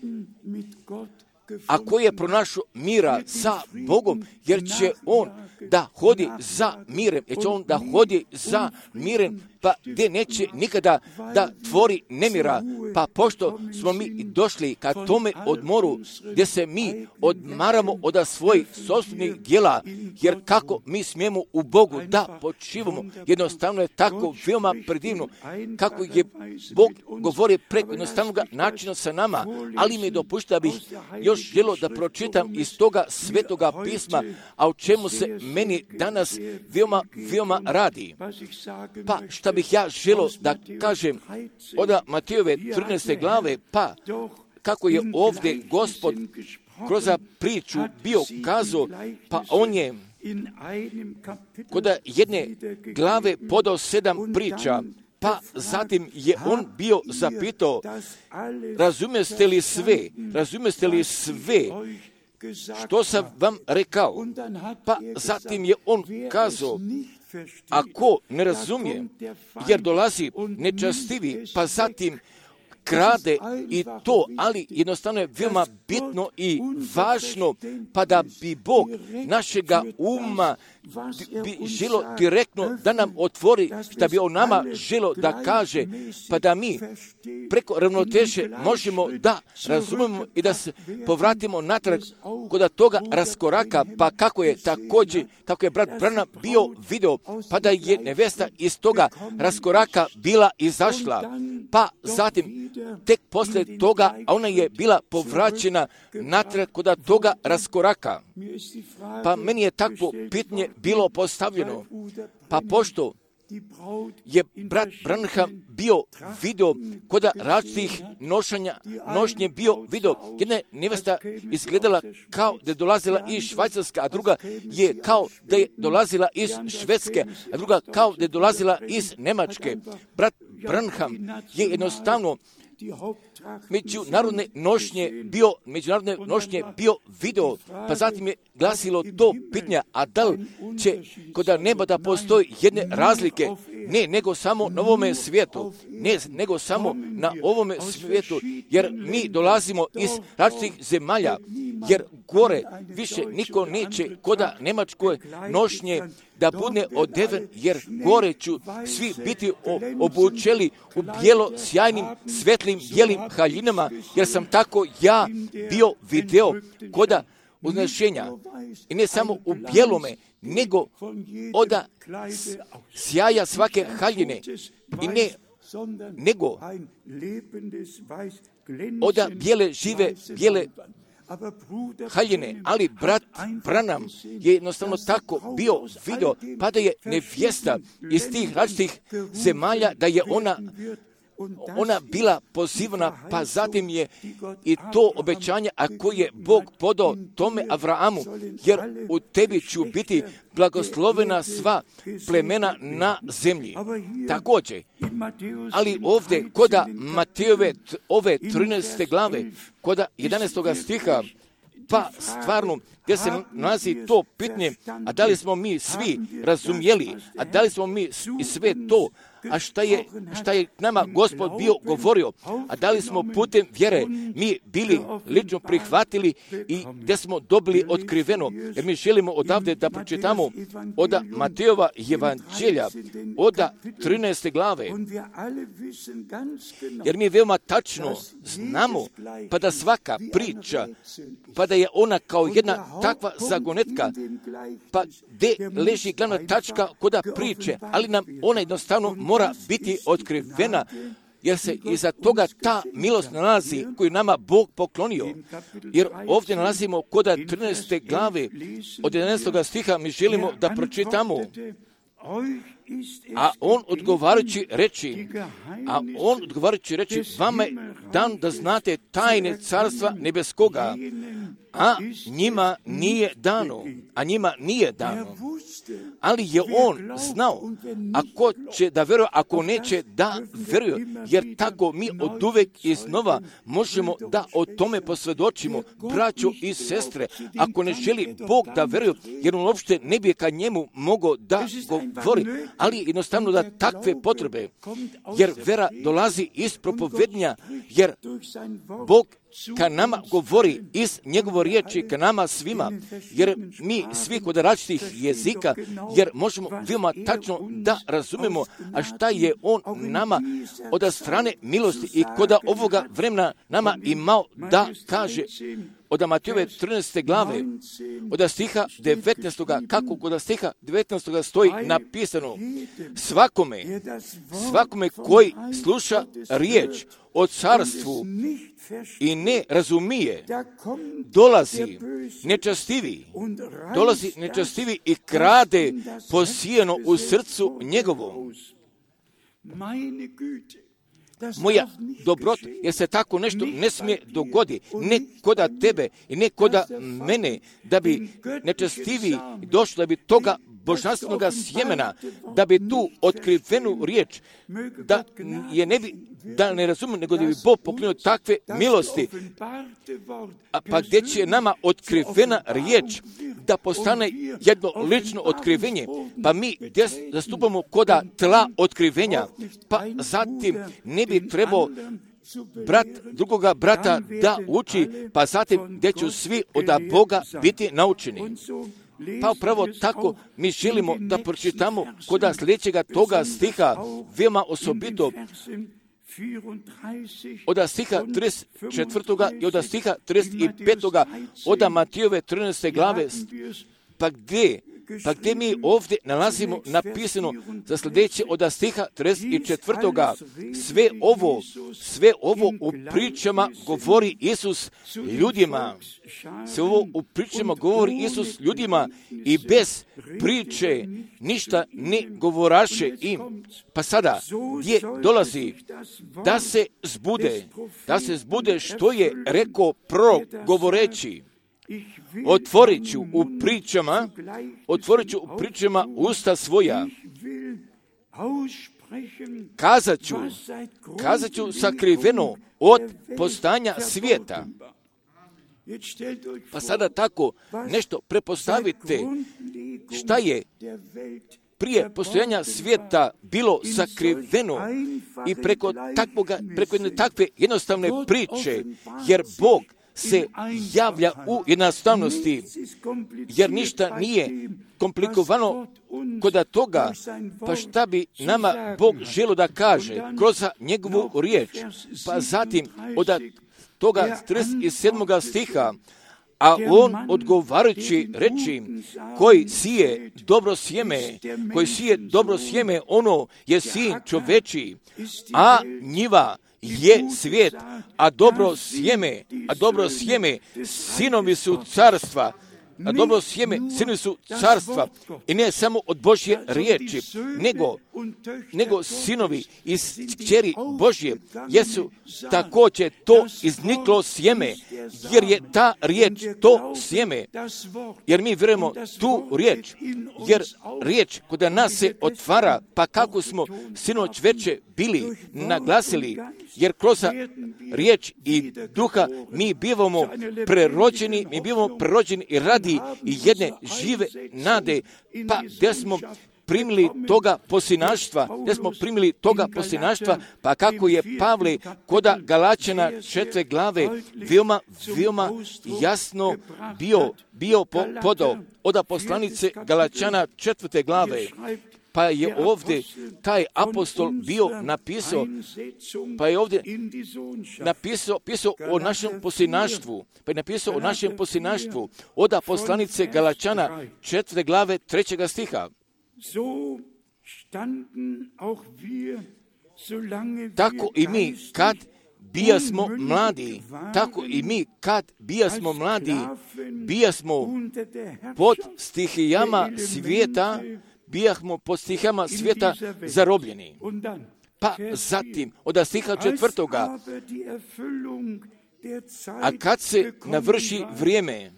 Ako je pronašao mira sa Bogom, jer će on da hodi za mirem, jer će on da hodi za mirem, pa gdje neće nikada da tvori nemira. Pa pošto smo mi došli ka tome odmoru, gdje se mi odmaramo od svojih sopstvenih djela, jer kako mi smijemo u Bogu da počivamo, jednostavno je tako veoma predivno, kako je Bog govori preko jednostavnog načina sa nama, ali mi dopušta bih još želio da pročitam iz toga svetoga pisma, a o čemu se meni danas veoma radi. Pa šta bih ja želio da kažem od Matejove 13. glave, pa kako je ovdje Gospod kroz priču bio kazao, pa on je kod jedne glave podao 7 priča, pa zatim je on bio zapitao, razumijete li sve što sam vam rekao? Pa zatim je on kazao, ako ne razumije, jer dolazi nečastivi, pa zatim krade i to, ali jednostavno je veoma bitno i važno, pa da bi Bog našega uma bi želo direktno da nam otvori, što bi on nama želo da kaže, pa da mi preko ravnoteže možemo da razumemo i da se povratimo natrag kod toga raskoraka, pa kako je brat Branham bio video, pa da je nevesta iz toga raskoraka bila izašla, pa zatim tek poslije toga, a ona je bila povraćena natrag kod toga raskoraka. Pa meni je takvo pitanje bilo postavljeno, pa pošto je brat Branham bio video kod različitih nošnje bio video. Jedna nevesta izgledala kao da je dolazila iz Švajcarske, a druga je kao da je dolazila iz Švedske, a druga kao da je dolazila iz Njemačke. Brat Branham je jednostavno međunarodne nošnje bio video, pa zatim je glasilo to pitanje, a da li će kod neba da postoji jedne razlike, ne nego samo na ovome svijetu, nego samo na ovome svijetu, jer mi dolazimo iz različitih zemalja, jer gore više niko neće kod Njemačkoj nošnje da bude odeven, jer gore ću svi biti obučeli u bijelo sjajnim, svetlim, bijelim haljinama, jer sam tako ja bio video koda uznešenja. I ne samo u bijelome, nego od sjaja svake haljine. I ne nego od bijele bijele haljine, ali brat Branham je jednostavno tako bio video, pa da je nevjesta iz tih različitih zemalja, da je ona bila pozivana, pa zatim je i to obećanje, ako je Bog podao tome Avrahamu, jer u tebi ću biti blagoslovena sva plemena na zemlji. Također, ali ovdje koda Matejove ove 13. glave, koda 11. stiha, pa stvarno, gdje se nalazi to pitanje, a da li smo mi svi razumjeli, a da li smo mi i sve to, a šta je nama Gospod bio govorio, a da li smo putem vjere mi bili lično prihvatili i gdje smo dobili otkriveno, jer mi želimo odavde da pročitamo od Matejova evanđelja, od 13. glave, jer mi veoma tačno znamo, pa da svaka priča, pa da je ona kao jedna takva zagonetka, pa gdje leži glavna tačka koda priče, ali nam ona jednostavno mora biti otkrivena, jer se iza toga ta milost nalazi koju nama Bog poklonio. Jer ovdje nalazimo kod 13. glave od 11. stiha mi želimo da pročitamo. A on odgovarajući reči, vama je dan da znate tajne carstva nebeskoga, a njima nije dano. Ali je on znao, ako će da veruje, ako neće da veruje, jer tako mi od uvek iznova možemo da o tome posvjedočimo, braćo i sestre, ako ne želi Bog da veruje, jer on uopšte ne bi ka njemu mogao da govori, ali jednostavno da takve potrebe, jer vera dolazi iz propovednja, jer Bog ka nama govori iz njegove riječi, ka nama svima, jer mi svi kod različitih jezika, jer možemo veoma tačno da razumemo, a šta je on nama od strane milosti i kod ovoga vremena nama imao da kaže. Od Matejove 13. glave, od stiha 19. kako kod stiha 19. stoji napisano, svakome koji sluša riječ o carstvu i ne razumije, dolazi nečastivi i krade posijeno u srcu njegovom. Moja dobrota, jer se tako nešto ne smije dogoditi, ne koda tebe i ne koda mene, da bi nečastivi došli, da bi toga božanstvenog sjemena, da bi tu otkrivenu riječ, da ne razumiju, nego da bi Bog poklonio takve milosti. Pa gdje će nama otkrivena riječ da postane jedno lično otkrivenje, pa mi gdje zastupamo koda tla otkrivenja, pa zatim ne bi trebao drugoga brata da uči, pa zatim gdje će svi od Boga biti naučeni. Pa upravo tako mi želimo da pročitamo koda sljedećega toga stiha, veoma osobito, od stiha 34. i od stiha 35. od Matejove 13. glave, pa gdje mi ovdje nalazimo napisano za sljedeće od stiha 34. Sve ovo u pričama govori Isus ljudima. Sve ovo u pričama govori Isus ljudima i bez priče ništa ne govoraše im. Pa sada, gdje dolazi da se zbude što je rekao prorok govoreći. Otvorit ću u pričama usta svoja. Kazat ću sakriveno od postanja svijeta. Pa sada tako nešto prepostavite šta je prije postojanja svijeta bilo sakriveno i preko jedne takve jednostavne priče, jer Bog se javlja u jednostavnosti, jer ništa nije komplikovano kod toga, pa šta bi nama Bog želio da kaže kroz njegovu riječ. Pa zatim od toga 37. stiha, a on odgovarajući reči, koji sije dobro sjeme, ono je sin čoveči, a njiva je svijet, a dobro sjeme sinovi su carstva, carstva i ne samo od Božje riječi, nego sinovi iz kćeri Božje, jesu također to izniklo sjeme, jer je ta riječ to sjeme, jer mi vjerujemo tu riječ, jer riječ kod nas se otvara, pa kako smo sinoć veče bili naglasili, jer kroz riječ i duha mi bivamo prerođeni i radi i jedne žive nade, pa gdje smo primili toga posinaštva, pa kako je Pavle koda Galačana 4. glave veoma jasno bio podao od poslanice Galačana 4. glave. Pa je ovdje taj apostol bio napisao, napisao o našem posinaštvu. Pa je napisao o našem posinaštvu od poslanice Galačana 4. glave 3. stiha. Tako i mi kad bijasmo pod stihijama svijeta, zarobljeni. Pa zatim, od stiha 4. A kad se navrši vrijeme,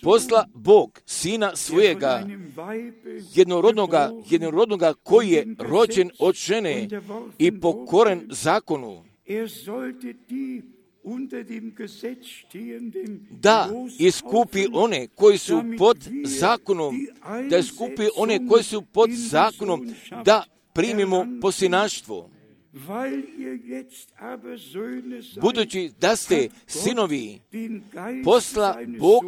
posla Bog Sina svojega, jednorodnoga koji je rođen od žene i pokoren zakonu, da iskupi one koji su pod zakonom, da primimo posinaštvo. Budući da ste sinovi, posla Bog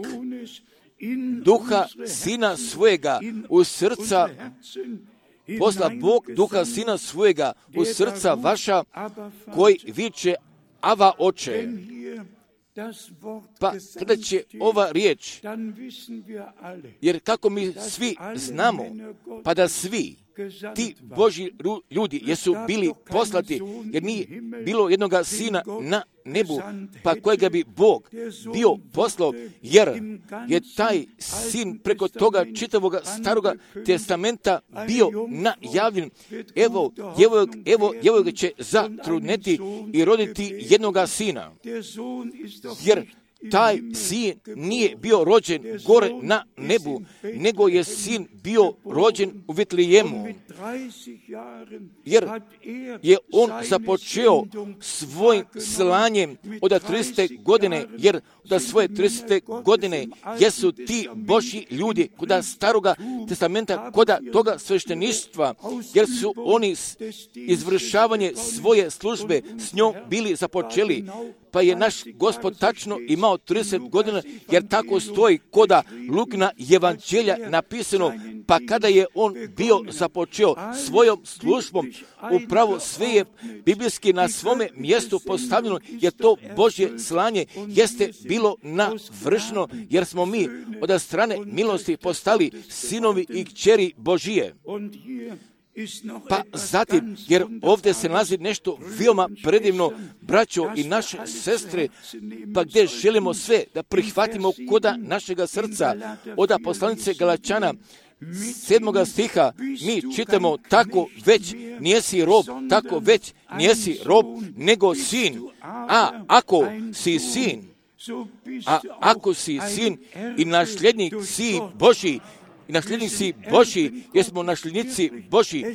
duha Sina svojega u srca, vaša, koji viče Ava Oče. Pa kada će ova riječ, jer kako mi svi znamo, pa da svi ti Božji ljudi jesu bili poslati, jer nije bilo jednoga sina na nebu, pa kojega bi Bog bio poslao, jer je taj sin preko toga čitavoga staroga testamenta bio najavljen. Evo ga će zatrudneti i roditi jednoga sina, jer taj sin nije bio rođen gore na nebu, nego je sin bio rođen u Vitlejemu. Jer je on započeo svojim slanjem od 30. godine, jer od svoje 30. godine jesu ti Božji ljudi koda staroga testamenta, koda toga svešteništva, jer su oni izvršavanje svoje službe s njom bili započeli. Pa je naš Gospod tačno imao 30 godina, jer tako stoji koda Lukina evanđelja napisano, pa kada je on bio započeo svojom službom, upravo sve je biblijski na svome mjestu postavljeno, jer to Božje slanje jeste bilo navršeno, jer smo mi od strane milosti postali sinovi i kćeri Božije. Pa zatim, jer ovdje se nalazi nešto veoma predivno, braćo i naše sestre, pa gdje želimo sve da prihvatimo koda našega srca, od poslanice Galačana 7. stiha, mi čitamo tako već nijesi rob, nego sin. Ako si sin i nasljednik si Božji, jer smo nasljednici Božji,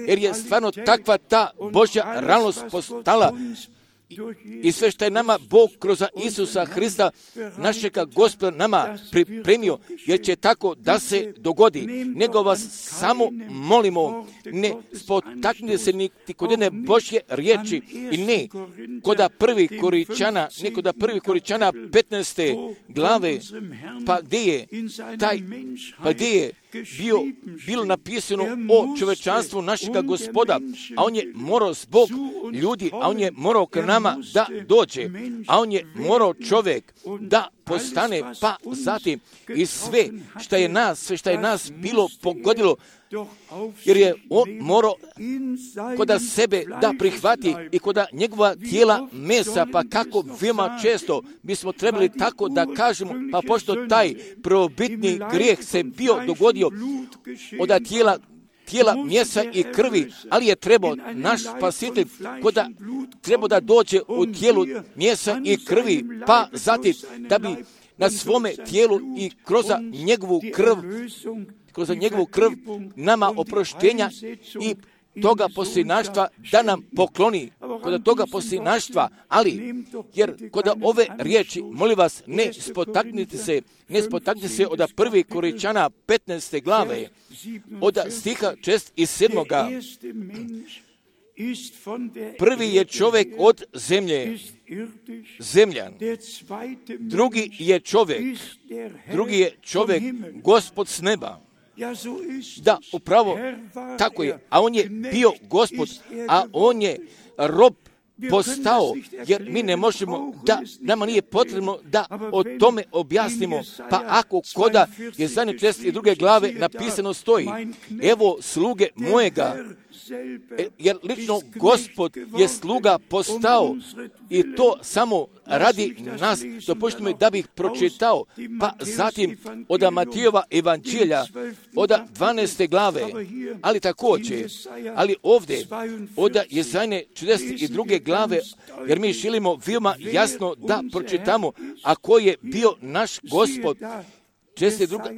jer je stvarno takva ta Božja realnost postala i sve što je nama Bog kroz Isusa Hrista, našega Gospoda, nama pripremio, jer će tako da se dogodi. Nego vas samo molimo, ne spotaknite se niti kod jedne Božje riječi i ne koda prvi Koričana 15. glave, pa gdje je bilo napisano o čovečanstvu našega Gospoda, a on je morao zbog ljudi, a on je morao k nama da dođe, a on je morao čovjek da postane, pa zatim i sve što je nas bilo pogodilo, jer je on morao koda sebe da prihvati i koda njegova tijela mesa, pa kako veoma često bismo trebali tako da kažemo, pa pošto taj prvobitni grijeh se bio dogodio od tijela mjesa i krvi, ali je trebao naš spasitelj koda trebao da dođe u tijelu mjesa i krvi, pa zatim da bi na svome tijelu i kroz njegovu krv nama oproštenja toga posljednaštva da nam pokloni, kod toga posljednaštva, ali, jer kod ove riječi, molim vas, ne spotaknite se od 1. Korinćana 15. glave, od stiha 6 i 7. Prvi je čovjek od zemlje, zemljan. Drugi je čovjek, Gospod s neba. Da, upravo tako je. A on je bio Gospod, a on je rob postao, jer mi ne možemo, nama nije potrebno da o tome objasnimo. Pa ako koda je zadnje 42. glave napisano stoji, evo sluge mojega, jer lično Gospod je sluga postao i to samo radi nas. Dopustite mi da bih pročitao, pa zatim od Matijeva evanđelja, od 12. glave, ali također, ali ovdje, od Jezajne 42. glave, jer mi želimo veoma jasno da pročitamo, a ko je bio naš Gospod.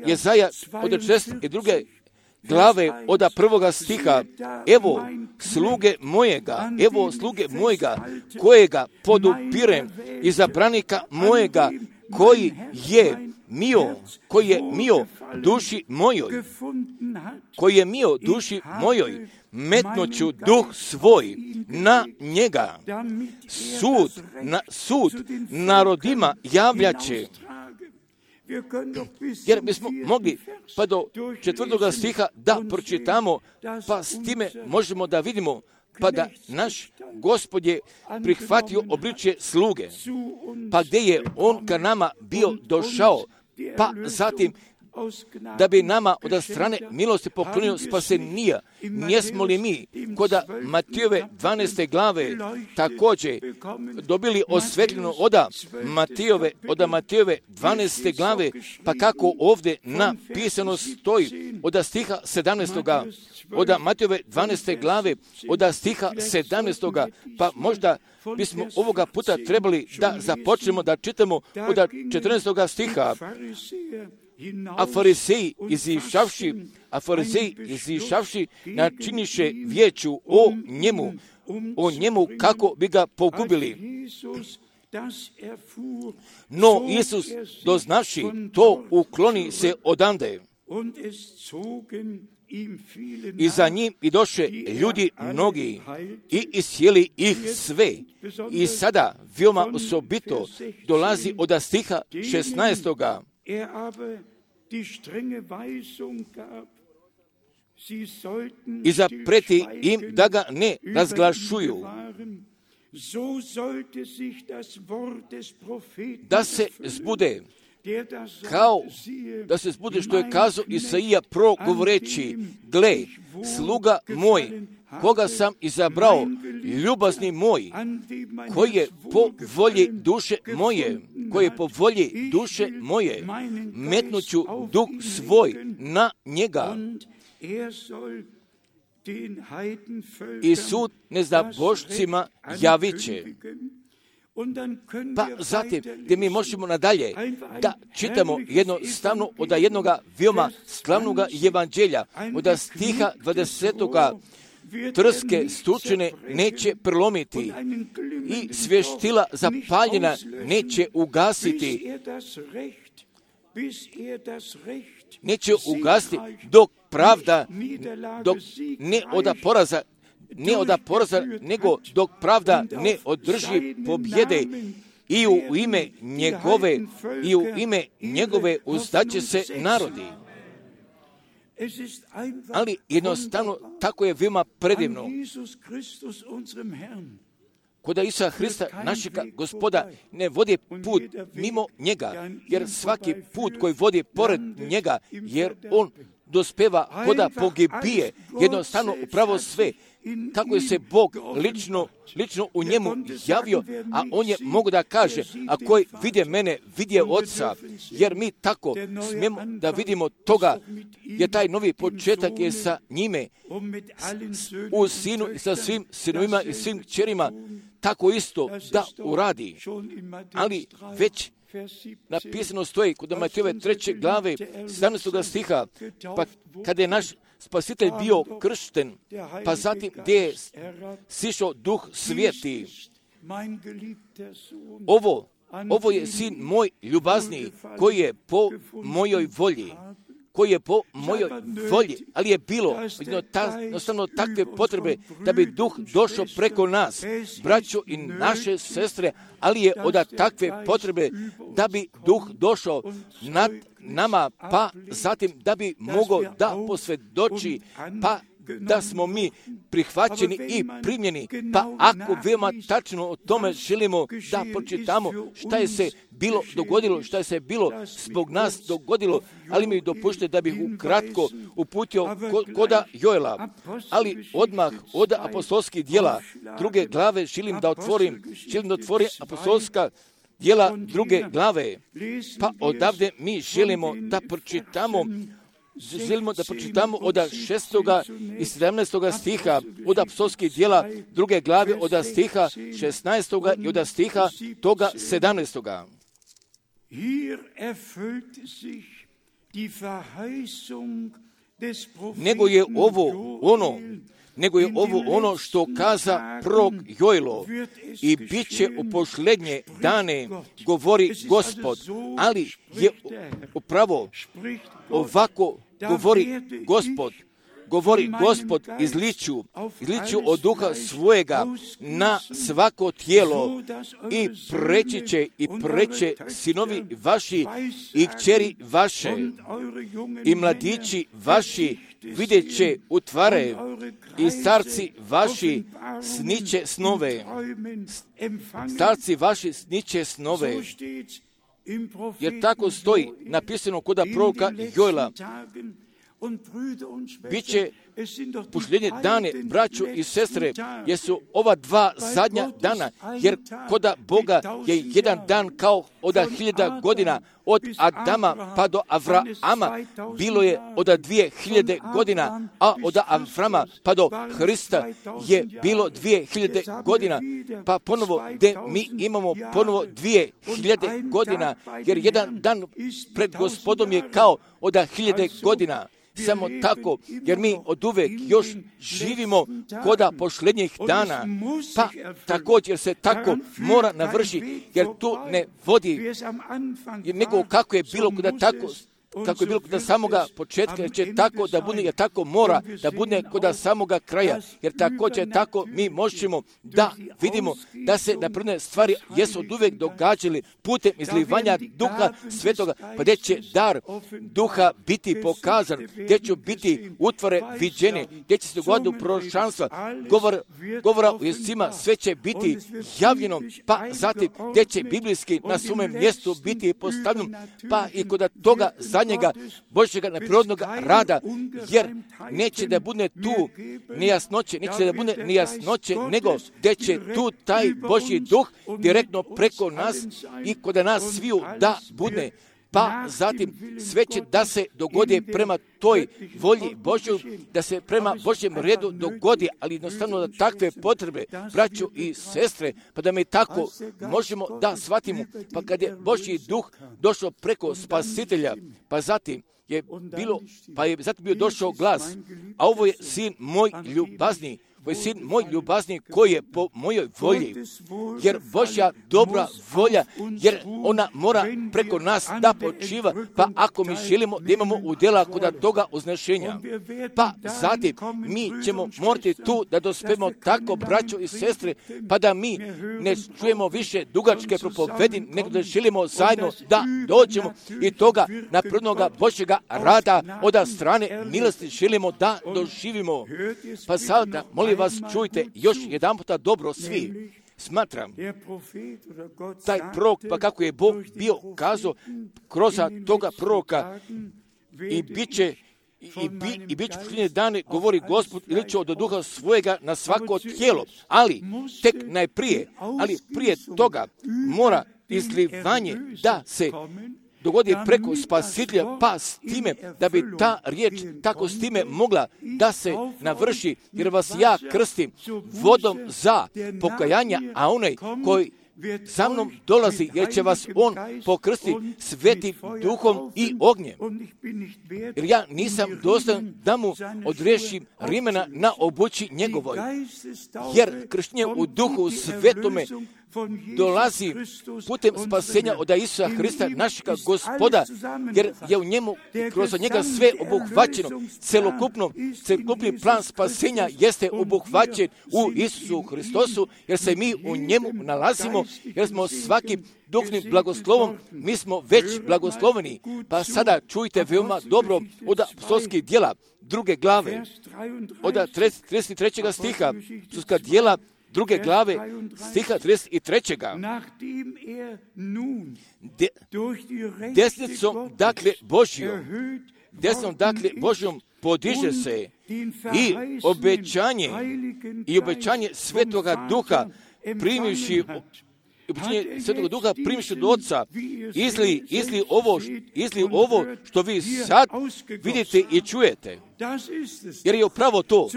Jezaja od 42. glave od 1. stiha, evo sluge mojega, kojega podupirem, izabranika mojega, koji je mio duši mojoj, metnoću duh svoj na njega, sud narodima javljaće. Jer bismo mogli pa do 4. stiha da pročitamo, pa s time možemo da vidimo, pa da naš Gospod je prihvatio obličje sluge, pa gdje je on ka nama bio došao, pa zatim da bi nama od strane milosti poklonio spasenija. Njesmo li mi kod Matijeve 12. glave također dobili osvetljeno od Matijeve 12. glave, pa kako ovdje napisano stoji od stiha 17. od Matijeve 12. glave od stiha 17. pa možda bismo ovoga puta trebali da započnemo da čitamo od 14. stiha. A fariseji izišavši načiniše vijeću o njemu kako bi ga pogubili. No Isus doznavši to ukloni se odande. I za njim i doše ljudi mnogi i iscijeli ih sve. I sada veoma osobito dolazi od stiha 16. I zapreti im da ga ne razglašuju, da se zbude što je kazao Isaija progovoreći, gle, sluga moj, koga sam izabrao, ljubazni moj, koji je po volji duše moje, metnuću duh svoj na njega. I sud neznabošcima javit će. Pa zatim, gdje mi možemo nadalje da čitamo jednostavno od jednoga veoma slavnog evanđelja, od stiha 20. trske stučene neće prelomiti i svještila zapaljena neće ugasiti. Neće ugasiti dok pravda, ne od poraza, nego dok pravda ne održi pobjede i u ime njegove uzdaće se narodi. Ali jednostavno tako je veoma predivno. Kod Isusa Hrista, našega Gospoda, ne vodi put mimo njega, jer svaki put koji vodi pored njega, jer on dospeva koda pogibije, jednostavno upravo sve. Kako je se Bog lično u njemu javio, a on je mogu da kaže, a koji vide mene, vidje Oca, jer mi tako smijemo da vidimo toga, jer taj novi početak je sa njime, u sinu i sa svim sinovima i svim kćerima, tako isto da uradi. Ali već napisano stoji kod Matejove 3. glave 17. stiha, pa kada je naš Spasitelj bio kršten, pa zatim gdje je sišao Duh Sveti. Ovo je sin moj ljubazni, koji je po mojoj volji. Ali je bilo jednostavno takve potrebe da bi Duh došao preko nas, braćo i naše sestre, ali je od takve potrebe da bi Duh došao nad nama, pa zatim da bi mogao da posvjedoči, pa da smo mi prihvaćeni i primljeni. Pa ako veoma tačno o tome želimo da pročitamo šta je se bilo dogodilo, šta je se bilo zbog nas dogodilo, ali mi dopušte da bih ukratko uputio koda Joela, ali odmah od apostolskih djela 2. glave želim da otvorim apostolska djela 2. glave, pa odavde mi želimo da pročitamo od 6. i 17. stiha od apostolskih djela 2. glave od stiha 16. i od stiha toga 17. Nego je ovo ono što kaza prorok Joelo, i bit će u posljednje dane, govori Gospod, ali je upravo ovako govori Gospod, izliću od duha svojega na svako tijelo, i preće sinovi vaši i kćeri vaše i mladići vaši vidjet će utvare, i starci vaši sniće snove. Jer tako stoji napisano kod proroka Joela. Biće posljednje dane, braćo i sestre, jesu ova dva zadnja dana, jer kod Boga je jedan dan kao od 1000 godina, od Adama pa do Avrama bilo je od 2000 godina, a od Avrama pa do Hrista je bilo 2000 godina, pa ponovo gdje mi imamo ponovo 2000 godina, jer jedan dan pred Gospodom je kao od 1000 godina. Samo tako, jer mi oduvek još živimo koda posljednjih dana, pa također se tako mora navršiti, jer tu ne vodi, nego kako je bilo kod samoga početka, jer će tako da bude, jer tako mora da bude kod samoga kraja, jer također tako mi možemo da vidimo da se napredne stvari jesu oduvek događali putem izlivanja Duha Svetoga, pa gdje će dar Duha biti pokazan, gdje će biti utvore viđene, gdje će se dogoditi proročanstva, govora u jezicima, sve će biti javljeno, pa zatim gdje će biblijski na svome mjestu biti postavljeno, pa i kod toga zadnjega Božjega neprirodnog rada, jer neće da bude tu nejasnoće, nego gdje će tu taj Božji duh direktno preko nas i kod nas sviju da bude. Pa zatim sve će da se dogodi prema toj volji Božjoj, da se prema Božjem redu dogodi, ali jednostavno da takve potrebe, braćo i sestre, pa da mi tako možemo da shvatimo, pa kad je Božji duh došao preko Spasitelja, pa zatim je bio došao glas, a ovo je sin moj ljubazni, koji je po mojoj volji, jer Božja dobra volja, jer ona mora preko nas da počiva, pa ako mi želimo da imamo udjela kod toga uznešenja, pa zatim mi ćemo morati tu da dospemo tako, braćo i sestre, pa da mi ne čujemo više dugačke propovedi, nego da želimo zajedno da dođemo i toga naprednoga Božjega rada od strane milosti želimo da doživimo. Pa sada, molim vas, čujte još jedan puta dobro svi. Smatram, taj prorok, pa kako je Bog bio kazao kroz toga proroka, i bit će posljednje dane, govori Gospod, ili će od duha svojega na svako tijelo. Ali prije toga mora izlivanje da se dogodi preko Spasitelja, pa s time da bi ta riječ tako s time mogla da se navrši, jer vas ja krstim vodom za pokajanja, a onaj koji za mnom dolazi, jer će vas on pokrstiti Svetim Duhom i ognjem. Jer ja nisam dostojan da mu odriješim rimena na obući njegovoj. Jer krštenje u Duhu Svetome dolazi putem spasenja od Isusa Hrista, našega Gospoda, jer je u njemu, kroz njega sve obuhvaćeno. Celokupni plan spasenja jeste obuhvaćen u Isusu Hristosu, jer se mi u njemu nalazimo, jer smo svakim duhovnim blagoslovom, mi smo već blagosloveni. Pa sada čujte veoma dobro od apostolskih djela, 2. glave, od 33. stiha, apostolska djela, 2. glave, stiha 33. Desnicom, dakle, Božjom podiže se i obećanje Svetoga Duha primivši od Oca, izli ovo što vi sad vidite i čujete. Jer je upravo to.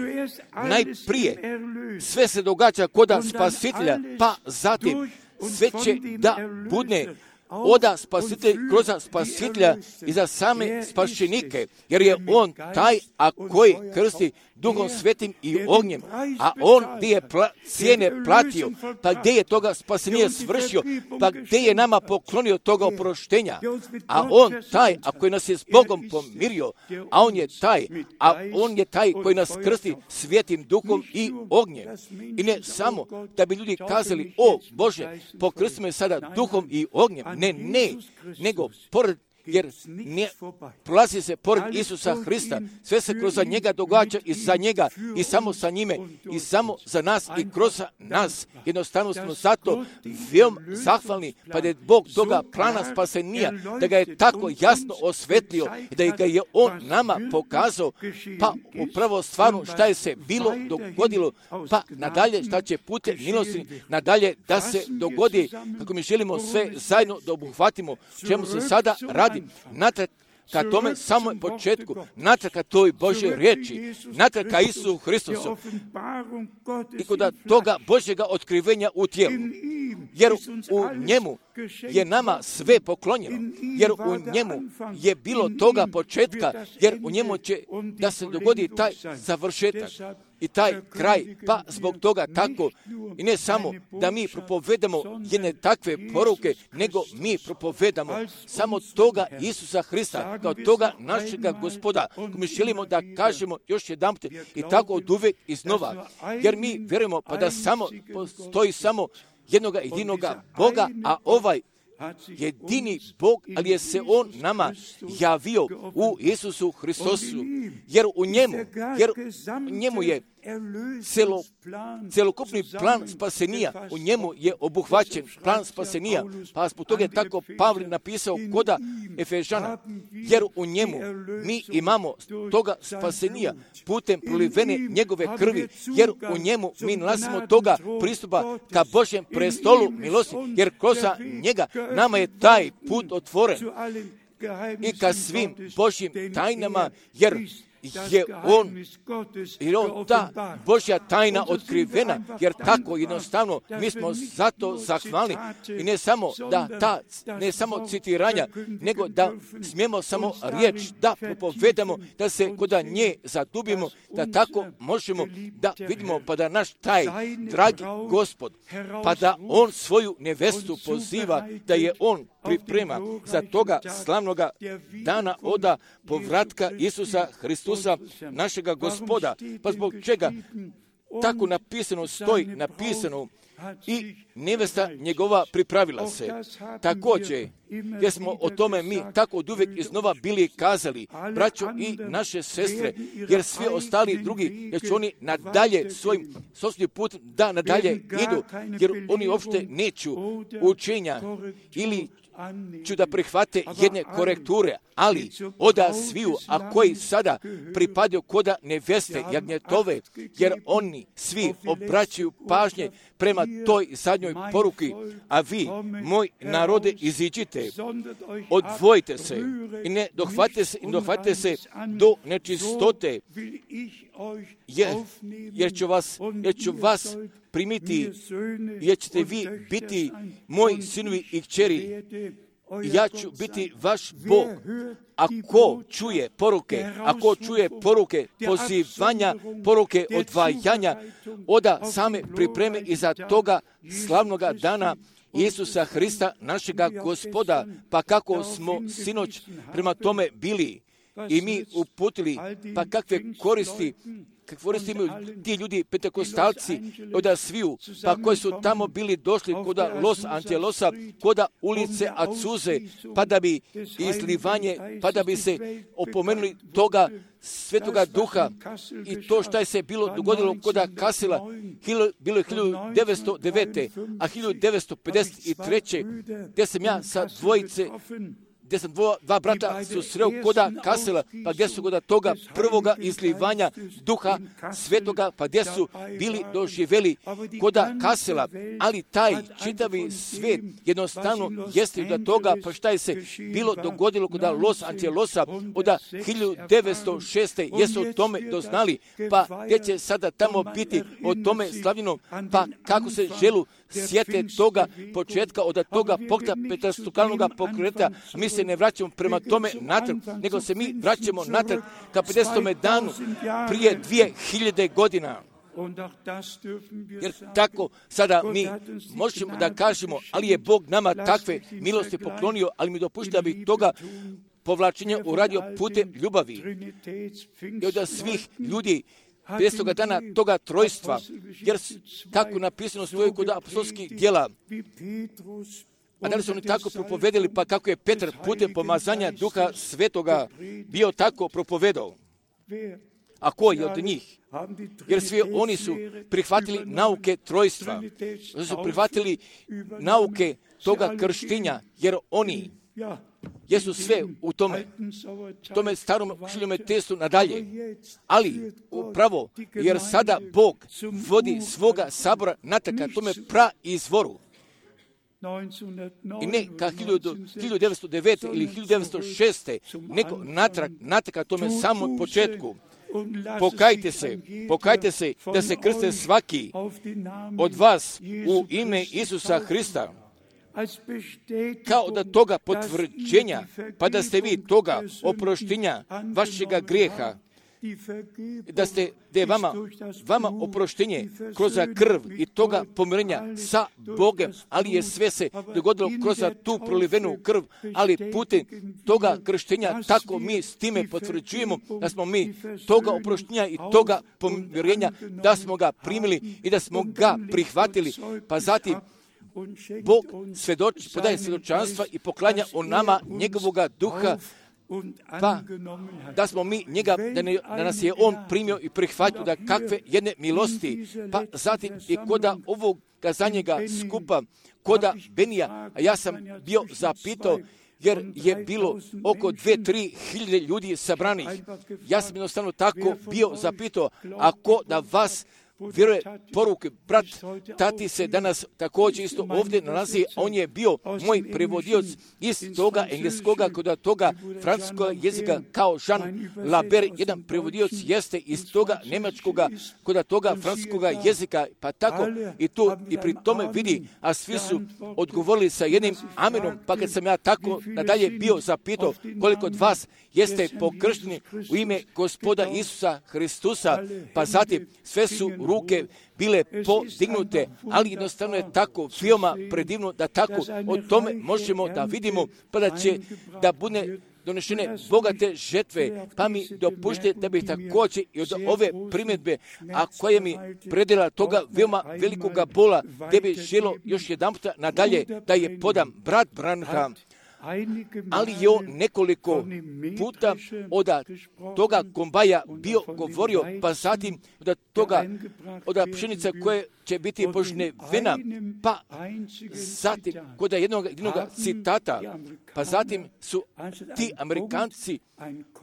Najprije sve se događa kod Spasitelja, pa zatim sve će da budne oda Spasitelj kroz Spasitelja i za same spašenike, jer je on taj, a koji krsti Duhom Svetim i ognjem, a on gdje je cijene platio, pa gdje je toga spasenje svršio, pa gdje je nama poklonio toga oproštenja, a on taj, a koji nas je s Bogom pomirio, a on je taj koji nas krsti Svetim Duhom i ognjem. I ne samo da bi ljudi kazali, o Bože, pokrsti me sada Duhom i ognjem, ne, nego pored, jer prolazi se pored Isusa Hrista, sve se kroz njega događa i za njega i samo sa njime i samo za nas i kroz nas. Jednostavno smo zato veoma zahvalni, pa da je Bog toga plana spasenija, da ga je tako jasno osvetlio i da ga je on nama pokazao, pa upravo stvarno šta je se bilo dogodilo, pa nadalje šta će putem milosti nadalje da se dogodi, kako mi želimo sve zajedno da obuhvatimo, čemu se sada radi. Natrag ka tome samom početku, natrag ka toj Božoj riječi, natrag ka Isusu Hristosu i kod toga Božjega otkrivenja u tijelu. Jer u njemu je nama sve poklonjeno, jer u njemu je bilo toga početka, jer u njemu će da se dogodi taj završetak i taj kraj, pa zbog toga tako, i ne samo da mi propovedamo jedne takve poruke, nego mi propovedamo samo toga Isusa Hrista, kao toga našega Gospoda, mi želimo da kažemo još jedanput i tako od uvijek iznova, jer mi vjerujemo pa da samo postoji samo jednoga jedinoga Boga, a ovaj jedini Bog, ali je se on nama javio u Isusu Hristosu, jer u njemu je celokupni plan spasenija, u njemu je obuhvaćen plan spasenija, pa zbog toga je tako Pavle napisao koda Efežana, jer u njemu mi imamo toga spasenija putem prolivene njegove krvi, jer u njemu mi nalazimo toga pristupa ka Božjem prestolu milosti, jer kroz njega nama je taj put otvoren i ka svim Božjim tajnama, jer je on ta Božja tajna otkrivena, jer tako jednostavno mi smo zato zahvalni i ne samo citiranja, nego da smijemo samo riječ da propovedamo, da se kod nje zadubimo, da tako možemo da vidimo, pa da naš taj dragi Gospod, pa da on svoju nevestu poziva, da je on priprema za toga slavnoga dana oda povratka Isusa Hristusa, našega Gospoda. Pa zbog čega tako napisano stoji, i nevesta njegova pripravila se. Također, jer smo o tome mi tako od uvijek iznova bili kazali, braćo i naše sestre, jer svi ostali drugi, jer će oni nadalje svojim sopstvenim putem da nadalje idu, jer oni uopšte neću učenja ili ću da prihvate jedne korekture, ali oda sviju, a koji sada pripadaju koda neveste jagnjetove, jer oni svi obraćaju pažnje prema toj zadnjoj poruki, a vi, moj narode, iziđite, odvojite se i ne dohvatite se do nečistote, jer ću vas primiti, jer ćete vi biti moji sinovi i kćeri. Ja ću biti vaš Bog. Ako čuje poruke pozivanja, poruke odvajanja, oda same pripreme iza toga slavnoga dana Isusa Hrista, našega Gospoda, pa kako smo sinoć prema tome bili i mi uputili, pa kakve koristi imaju ti ljudi pentekostalci oda sviju, pa koji su tamo bili došli koda Los Angelosa, koda ulice Azuze, pa da bi izlivanje, pa da bi se opomenuli toga Svetoga Duha i to što je se bilo dogodilo koda Kasela, bilo je 1909. a 1953. gdje sam ja sa gdje sam dva brata su sreo koda Kasela, pa gdje su koda toga prvoga izlivanja Duha Svetoga, pa gdje su bili doživjeli koda Kasela, ali taj čitavi svijet jednostavno jeste da toga, pa šta je se bilo dogodilo koda Los Angelosa od 1906. jesu o tome doznali, pa gdje će sada tamo biti o tome slavljeno, pa kako se želu sjete toga početka od toga pokreta pentakostalunog pokreta, mi se ne vraćamo prema tome natrag, nego se mi vraćamo natrag ka 50. danu prije 2000 godina. Jer tako sada mi možemo da kažemo, ali je Bog nama takve milosti poklonio, ali mi dopušta da bi toga povlačenja uradio putem ljubavi. I od svih ljudi 50. dana toga trojstva, jer tako napisano stoji kod apostolskih djela. A da li su oni tako propovedali, pa kako je Petar putem pomazanja Duha Svetoga bio tako propovedao? A ko je od njih? Jer svi oni su prihvatili nauke trojstva, su prihvatili nauke toga krštenja, jer oni jesu sve u tome starom šiljem testu nadalje. Ali upravo, jer sada Bog vodi svoga sabora nataka tome praizvoru. I ne ka 1909. ili 1906. nego natrag tome samom početku. Pokajte se da se krste svaki od vas u ime Isusa Hrista, kao da toga potvrđenja, pa da ste vi toga oproštenja vašega grijeha, da je vama oproštenje kroz krv i toga pomirenja sa Bogem, ali je sve se dogodilo kroz tu prolivenu krv, ali putem toga krštenja, tako mi s time potvrđujemo da smo mi toga oproštenja i toga pomirenja, da smo ga primili i da smo ga prihvatili, pa zatim Bog podaje svjedočanstva i poklanja o nama njegovoga duha, pa da smo mi njega, da nas je on primio i prihvatio, da kakve jedne milosti, pa zatim i koda ovog kazanjega skupa, koda Benija, a ja sam bio zapitao, jer je bilo oko 2-3 hiljade ljudi sabranih. Ja sam jednostavno tako bio zapitao, ako da vas vjeruje poruke, brat Tati se danas također isto ovdje nalazi, a on je bio moj prevodioc iz toga engleskoga, kod toga francuskog jezika, kao Jean Laber, jedan prevodioc jeste iz toga njemačkoga, kod toga francuskoga jezika, pa tako i tu i pri tome vidi, a svi su odgovorili sa jednim amenom, pa kad sam ja tako nadalje bio zapitao koliko od vas jeste pokršteni u ime Gospoda Isusa Hristusa, pa zatim sve su ruke bile podignute, ali jednostavno je tako veoma predivno da tako o tome možemo da vidimo, pa da će da bude donešene bogate žetve, pa mi dopušte da bih također i od ove primjedbe, a koja mi predela toga veoma velikoga bola, gdje bi želo još jedan puta nadalje da je podam brat Branham, ali je on nekoliko puta od toga kombaja bio govorio, pa zatim od pšenica koje će biti božne vena, pa zatim kod jednog citata, pa zatim su ti Amerikanci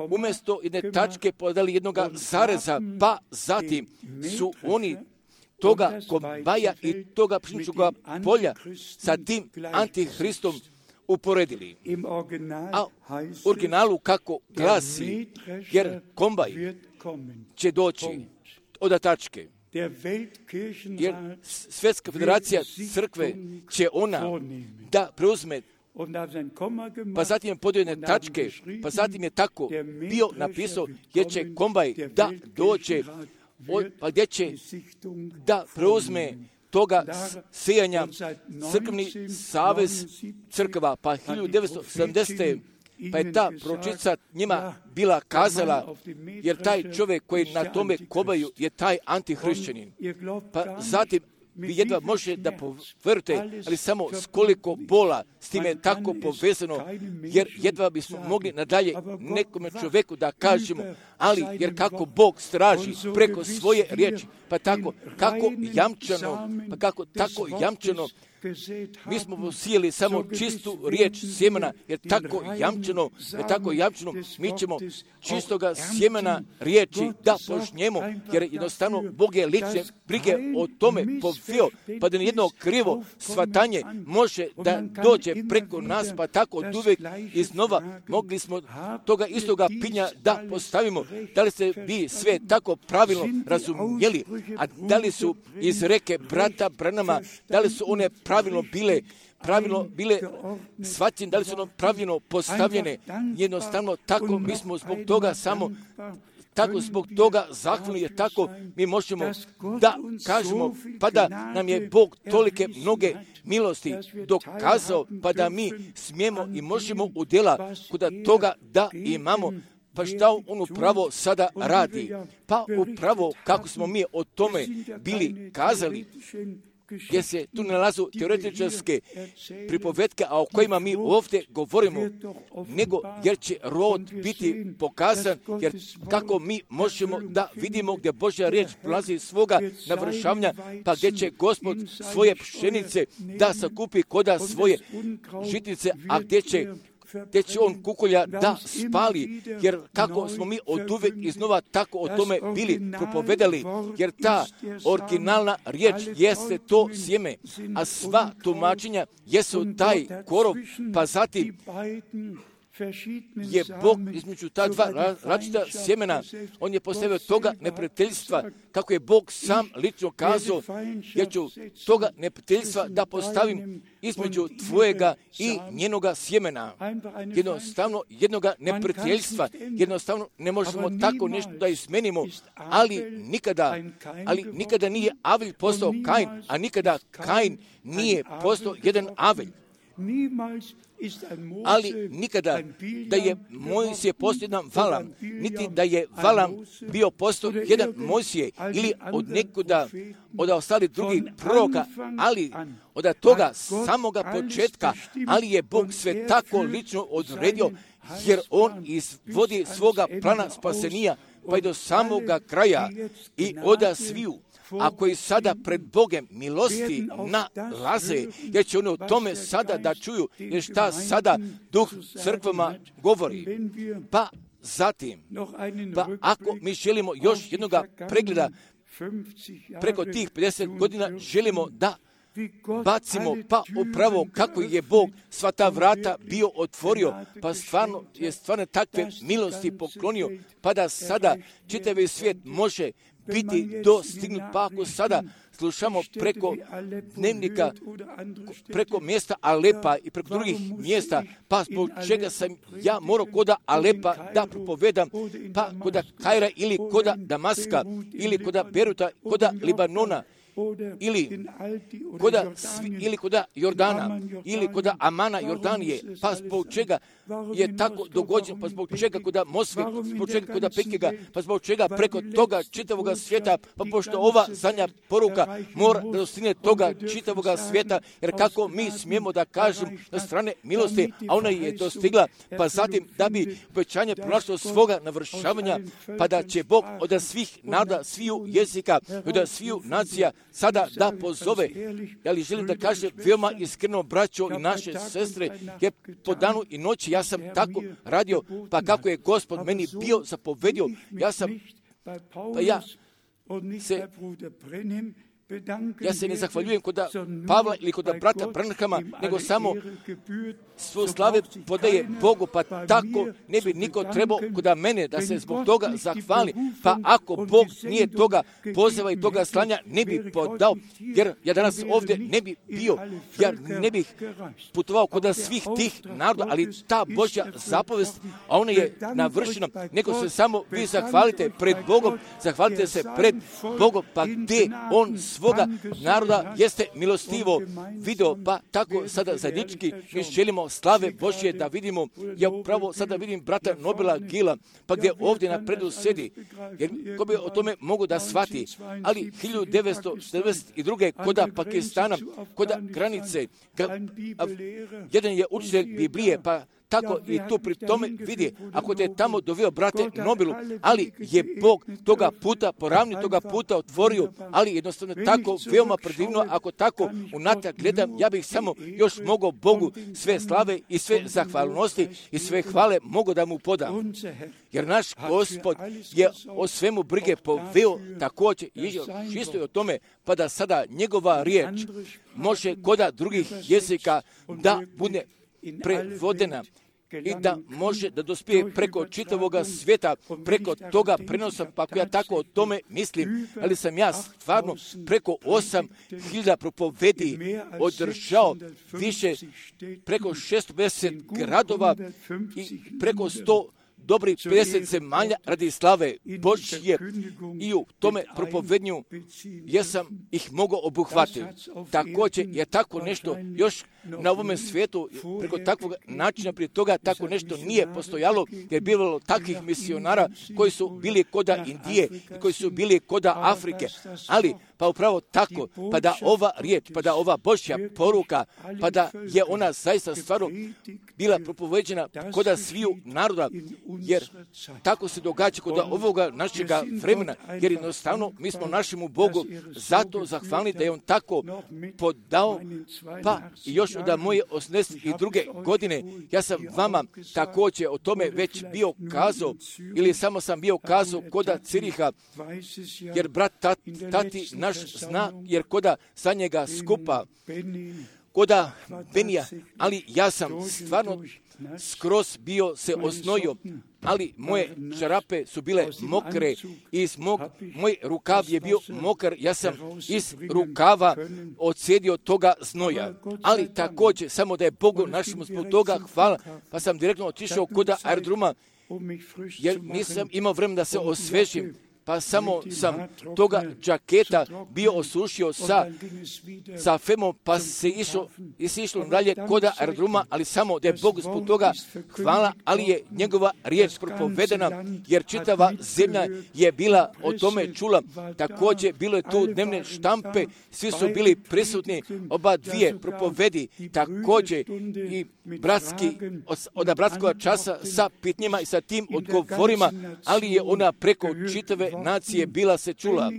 umjesto jedne tačke podali jednoga zareza, pa zatim su oni toga kombaja i toga pšeničnog polja sa tim antihristom uporedili. A u originalu kako glasi, jer kombaj će doći od tačke. Jer Svjetska federacija crkve će ona da preuzme, pa zatim je podio jedne tačke, pa zatim je tako bio napisao jer će kombaj da dođe, pa gdje će da preuzme toga sijanja crkveni savez crkva, pa 1970. Pa je ta proročica njima bila kazala, jer taj čovjek koji na tome kobaju je taj antihrišćanin. Pa zatim vi jedva možete da poverujete, ali samo s koliko bola s time je tako povezano, jer jedva bismo mogli nadalje nekome čovjeku da kažemo, ali jer kako Bog straži preko svoje riječi, pa tako kako jamčano, mi smo posijeli samo čistu riječ sjemena, jer tako jamčano, mi ćemo čistoga sjemena riječi da požnjemo, jer jednostavno Bog je lične brige o tome povio, pa da nijedno krivo shvatanje može da dođe preko nas, pa tako od uvijek iznova mogli smo toga istoga pinja da postavimo. Da li ste vi sve tako pravilno razumjeli, a da li su iz reke brata Branama, da li su one pravilno bile shvaćene, da li su ono pravilno postavljene, jednostavno tako mi smo zbog toga samo tako zbog toga zahvalni, jer tako mi možemo da kažemo, pa da nam je Bog tolike mnoge milosti dokazao, pa da mi smijemo i možemo u djela kuda toga da imamo. Pa šta on upravo sada radi? Pa upravo kako smo mi o tome bili kazali, gdje se tu nalazu teoretičarske pripovetke, a o kojima mi ovdje govorimo, nego jer će rod biti pokazan, jer kako mi možemo da vidimo gdje Božja riječ prolazi iz svoga navršavanja, pa gdje će Gospod svoje pšenice da sakupi koda svoje žitnice, a gdje će on kukolja da spali, jer kako smo mi od uvijek iznova tako o tome bili propovedali, jer ta originalna riječ jeste to sjeme, a sva tumačenja jesu taj korov, pa zatim je Bog između ta dva različita sjemena, on je postavio toga neprijateljstva, kako je Bog sam lično kazao, jer ću toga neprijateljstva da postavim između tvojega i njenoga sjemena. Jednostavno jednoga neprijateljstva, jednostavno ne možemo tako nešto da izmenimo, ali nikada nije Avelj postao Kain, a nikada Kain nije postao jedan Avelj. Ali nikada da je Mojsije postao jedan Valam, niti da je Valam bio postao jedan Mojsije ili od nekuda, od ostalih drugih proroka, ali od toga samoga početka, ali je Bog sve tako lično odredio, jer on izvodi svoga plana spasenija, pa i do samoga kraja i oda sviju. A koji sada pred Bogem milosti nalaze, jer će oni o tome sada da čuju, jer šta sada Duh crkvama govori. Pa zatim, pa ako mi želimo još jednoga pregleda preko tih 50 godina, želimo da bacimo, pa upravo kako je Bog sva ta vrata bio otvorio, pa stvarno takve milosti poklonio, pa da sada čitavi svijet može biti dostignut, pa ako sada slušamo preko dnevnika, preko mjesta Alepa i preko drugih mjesta, pa zbog čega sam ja morao koda Alepa da propovedam, pa koda Kaira ili koda Damaska, ili koda Beruta, koda Libanona, ili koda Jordana, ili koda Amana Jordanije, pa zbog čega je tako dogođeno, pa zbog čega koda Moskve, zbog čega koda Pekega, pa zbog čega preko toga čitavoga svijeta, pa pošto ova zadnja poruka mora da dostigne toga čitavoga svijeta, jer kako mi smijemo da kažem na strane milosti, a ona je dostigla, pa zatim da bi obećanje pronašlo svoga navršavanja, pa da će Bog od svih naroda, sviju jezika, od sviju nacija sada da pozove. Ja li želim da kažem veoma iskreno, braćo i naše sestre, jer po danu i noći ja sam tako radio, pa kako je Gospod meni bio zapovedio, ja Ja se ne zahvaljujem kod Pavla ili kod brata Branhama, nego samo svoju slave podaje Bogu, pa tako ne bi niko trebao kod mene da se zbog toga zahvali. Pa ako Bog nije toga poziva i toga slanja, ne bi podao, jer ja danas ovdje ne bi bio, ja ne bih putovao kod svih tih naroda, ali ta Božja zapovest, a ona je navršena, neko se samo vi zahvalite pred Bogom, zahvalite se pred Bogom, pa gdje on svoga naroda jeste milostivo video, pa tako sada zajednički mi želimo slave Božje da vidimo. Ja upravo sada vidim brata Nobila Gila, pa gdje ovdje napredu sedi, jer ko bi o tome mogu da shvati, ali 1992. koda Pakistana, koda granice, jedan je učitelj Biblije, pa tako i tu pri tome vidi, ako te tamo doveo brate Nobilu, ali je Bog toga puta, poravni toga puta otvorio, ali jednostavno tako veoma predivno, ako tako unatrag gledam, ja bih samo još mogao Bogu sve slave i sve zahvalnosti i sve hvale mogu da mu podam. Jer naš Gospod je o svemu brige poveo također čisto o tome, pa da sada njegova riječ može koda drugih jezika da bude prevodena i da može da dospije preko čitavoga svijeta, preko toga prenosa, pa ako ja tako o tome mislim, ali sam ja stvarno preko 8.000 propovedi održao više, preko 650 gradova i preko 100 dobrih 50 zemalja radi slave Božje i u tome propovednju jesam ih mogao obuhvatiti. Također je tako nešto još na ovome svijetu, preko takvog načina prije toga tako nešto nije postojalo, jer bilo takvih misionara koji su bili koda Indije, koji su bili koda Afrike, ali pa upravo tako, pa da ova riječ, pa da ova Božja poruka, pa da je ona zaista stvarno bila propoveđena koda sviju naroda, jer tako se događa kod ovoga našega vremena, jer jednostavno mi smo našemu Bogu zato zahvalni da je on tako podao, pa i još od moje 82. godine ja sam vama također o tome već bio kazao, ili samo sam bio kazao koda Ciriha, jer brat tati naš zna, jer koda za njega skupa, koda Benija, ali ja sam stvarno skroz bio se osnojio, ali moje čarape su bile mokre i moj rukav je bio mokar, ja sam iz rukava odsjedio toga znoja. Ali također, samo da je Bogu našemu zbog toga hvala, pa sam direktno otišao kod aerodroma, jer nisam imao vremena da se osvežim. Pa samo sam toga džaketa bio osušio sa femom, pa se išlo dalje kod aerodroma, ali samo da je Bog zbog toga hvala, ali je njegova riječ propovedena, jer čitava zemlja je bila o tome čula. Također bilo je tu dnevne štampe, svi su bili prisutni, oba dvije propovedi, također i od bratskog časa sa pitnjima i sa tim odgovorima, ali je ona preko čitave nacije bila se čula.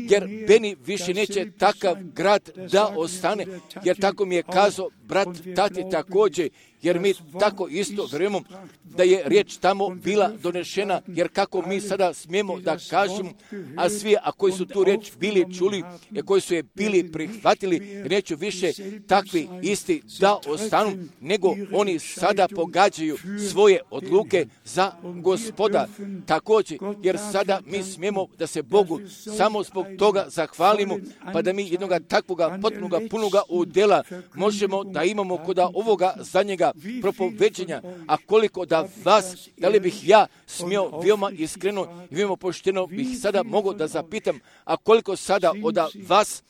Jer Beni više neće takav grad da ostane, jer tako mi je kazao brat tati također, jer mi tako isto vjerujemo da je riječ tamo bila donešena, jer kako mi sada smijemo da kažemo, a svi, a koji su tu riječ bili čuli, i koji su je bili prihvatili, neću više takvi isti da ostanu, nego oni sada pogađaju svoje odluke za Gospoda. Također, jer sada mi smijemo da se Bogu samo zbog toga zahvalimo, pa da mi jednoga takvoga potpunoga punoga udjela možemo da imamo kod ovoga zadnjega propoveđenja, a koliko da vas, da li bih ja smio veoma iskreno i veoma pošteno bih sada mogao da zapitam, a koliko sada od vas,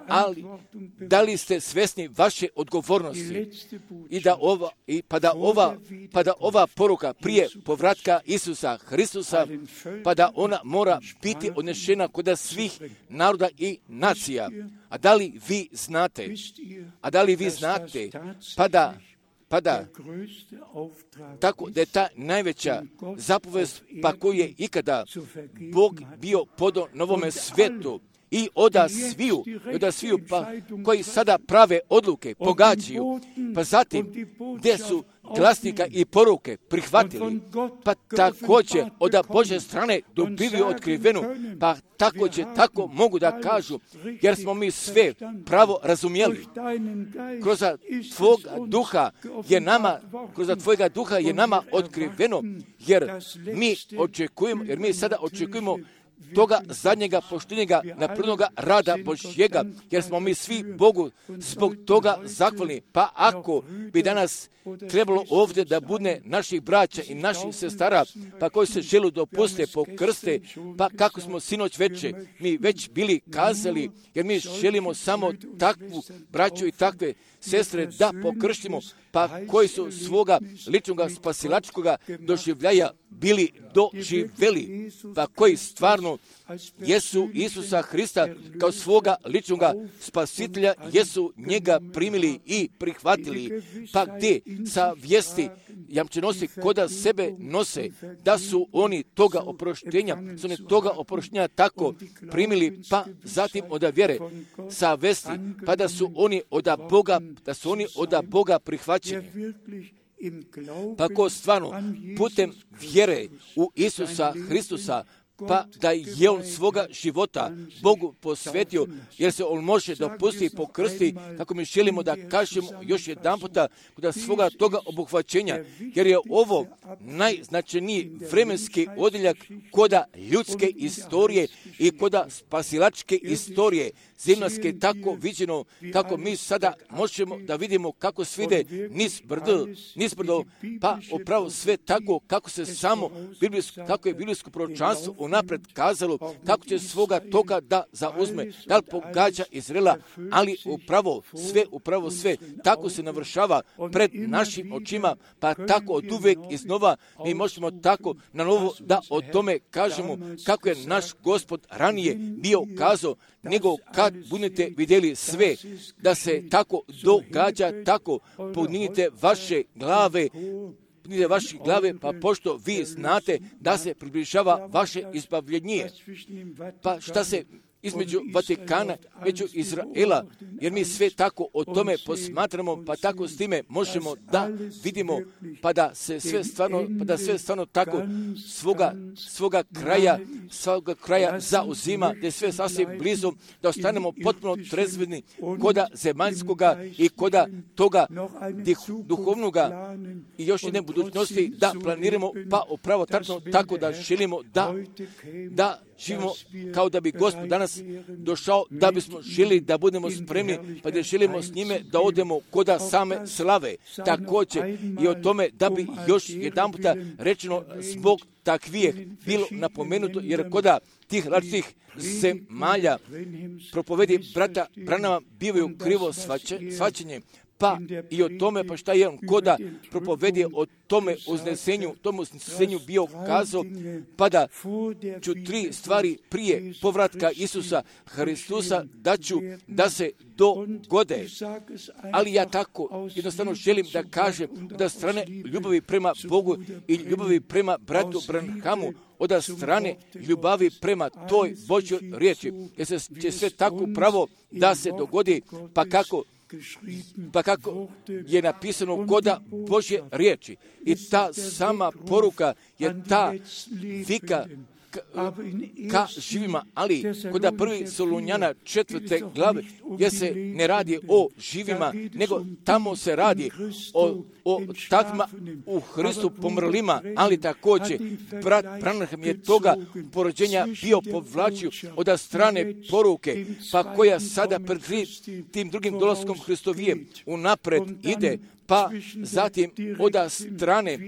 ali da li ste svjesni vaše odgovornosti pa da ova poruka prije povratka Isusa Hristusa, pa da ona mora biti odnešena kod svih naroda i nacija. A da li vi znate, pa da tako da je ta najveća zapovest pa koju je ikada Bog bio podao novome svijetu, i oda sviju pa koji sada prave odluke, pogađaju, pa zatim gdje su glasnika i poruke prihvatili, pa također od Božje strane dobili otkrivenu, pa također tako mogu da kažu, jer smo mi sve pravo razumjeli. Kroz Tvojega duha je nama otkriveno, jer mi sada očekujemo toga zadnjega poštenjega napravljenoga rada Božjega, jer smo mi svi Bogu zbog toga zahvalni. Pa ako bi danas trebalo ovdje da bude naših braća i naših sestara, pa koji se žele dopuste, pokrste, pa kako smo sinoć mi već bili kazali, jer mi želimo samo takvu braću i takve sestre da pokrštimo, pa koji su svoga ličnoga spasilačkoga doživljaja bili doživjeli, pa koji stvarno jesu Isusa Hrista kao svoga ličnoga spasitelja, jesu njega primili i prihvatili, pa gdje sa vijesti jamčenosti koda sebe nose, da su oni toga oproštenja tako primili, pa zatim od vjere sa vesti, pa da su oni od Boga prihvaćeni. Pa ko stvarno putem vjere u Isusa Hristusa, pa da je on svoga života Bogu posvetio, jer se on može dopustiti i pokrsti, kako mi želimo da kažemo još jedan puta, kod svoga toga obuhvaćenja, jer je ovo najznačajniji vremenski odjeljak koda ljudske istorije i koda spasilačke istorije, zemaljske tako viđeno, kako mi sada možemo da vidimo kako svide niz brdo, pa upravo sve tako kako se samo kako je biblijsko proročanstvo unapred kazalo, kako će svoga toga da zauzme, da li pogađa Izraela, ali upravo sve tako se navršava pred našim očima, pa tako od uvijek iznova mi možemo tako na novo da o tome kažemo kako je naš Gospod ranije bio kazao, nego kad budete vidjeli sve da se tako događa, tako podignite vaše glave, pa pošto vi znate da se približava vaše izbavljenje. Pa šta se između Vatikana, među Izraela, jer mi sve tako o tome posmatramo, pa tako s time možemo da vidimo, pa da sve stvarno tako svoga kraja zauzima, da je sve sasvim blizu, da ostanemo potpuno trezveni koda zemaljskoga i koda toga duhovnoga i još jedne budućnosti da planiramo, pa upravo tako da želimo da živimo kao da bi Gospod danas došao, da bismo želi da budemo spremni, pa da želimo s njime da odemo koda same slave. Također i o tome da bi još jedan puta rečeno zbog takvijeh bilo napomenuto, jer koda tih različitih zemalja propovedi brata Branhama bivaju krivo shvaćenje, pa i o tome, pa šta je on koda propovedi o tome uznesenju bio kazao, pa da ću 3 stvari prije povratka Isusa Hristusa da se dogode. Ali ja tako jednostavno želim da kažem da strane ljubavi prema Bogu i ljubavi prema bratu Branhamu, od strane ljubavi prema toj Božjoj riječi, jer će sve tako pravo da se dogodi, pa kako je napisano koda Božje riječi. I ta sama poruka je ta vika ka živima, ali koda 1. Solunjana 4. glave, gdje se ne radi o živima, nego tamo se radi o takvima u Hristu pomrlima, ali također brat Branham je toga porođenja bio povlačio od strane poruke, pa koja sada pred tim drugim dolaskom Hristovijem unapred ide, pa zatim od strane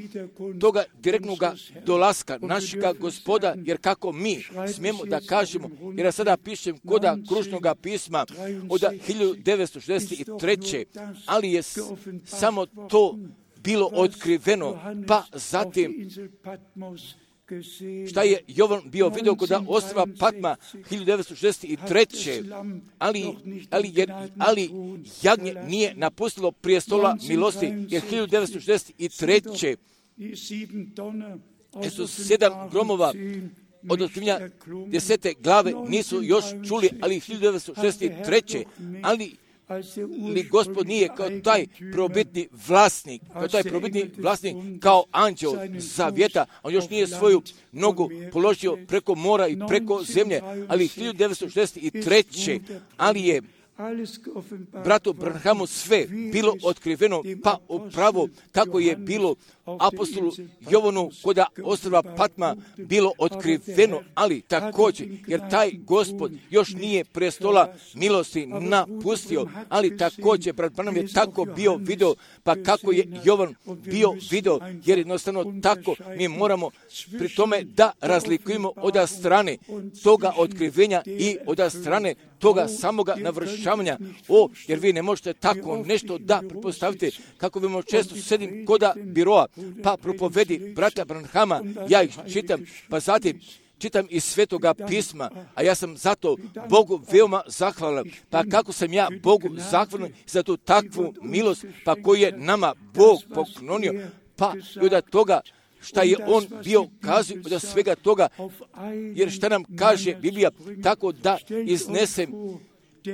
toga direktnog dolaska našega Gospoda, jer kako mi smijemo da kažemo, jer ja sada pišem koda kružnog pisma od 1963. ali je samo to bilo otkriveno, pa zatim šta je Jovan bio vidio kod ostrva Patma 1963. Ali jagnje nije napustilo prijestola milosti, jer 1963. su 7 gromova od otkrivenja 10. glave nisu još čuli, ali 1963. ali Gospod nije kao taj probitni vlasnik, kao anđeo zavjeta, on još nije svoju nogu položio preko mora i preko zemlje, ali 1963. ali je bratu Branhamu sve bilo otkriveno, pa upravo kako je bilo apostolu Jovanu kod ostrva Patma bilo otkriveno, ali također, jer taj Gospod još nije prestola milosti napustio, ali također, brat Branham je tako bio video, pa kako je Jovan bio video, jer jednostavno tako mi moramo pri tome da razlikujemo od strane toga otkrivenja i od strane toga samoga navršavanja. Jer vi ne možete tako nešto da pretpostavite, kako vi često sedim koda biroa, pa propovedi brata Branhama, ja ih čitam, pa zatim čitam iz Svetoga pisma, a ja sam zato Bogu veoma zahvalan. Pa kako sam ja Bogu zahvalan za tu takvu milost, pa koju je nama Bog poklonio, pa i od toga šta je on bio kazao, od svega toga, jer šta nam kaže Biblija, tako da iznesem,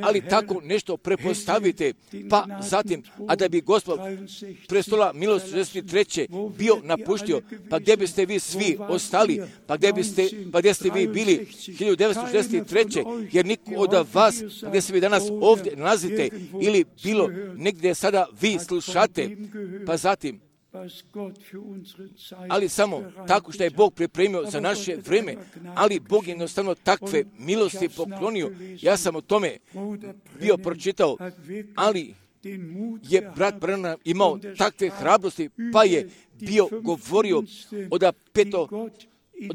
ali tako nešto prepostavite, pa zatim, a da bi Gospod prestola milosti 63. bio napuštio, pa gdje biste vi svi ostali, pa gdje ste vi bili 1963. jer niko od vas, gdje se vi danas ovdje nalazite, ili bilo negdje sada vi slušate, pa zatim, ali samo tako što je Bog pripremio za naše vrijeme, ali Bog je jednostavno takve milosti poklonio. Ja sam o tome bio pročitao, ali je brat Branham imao takve hrabrosti, pa je bio govorio od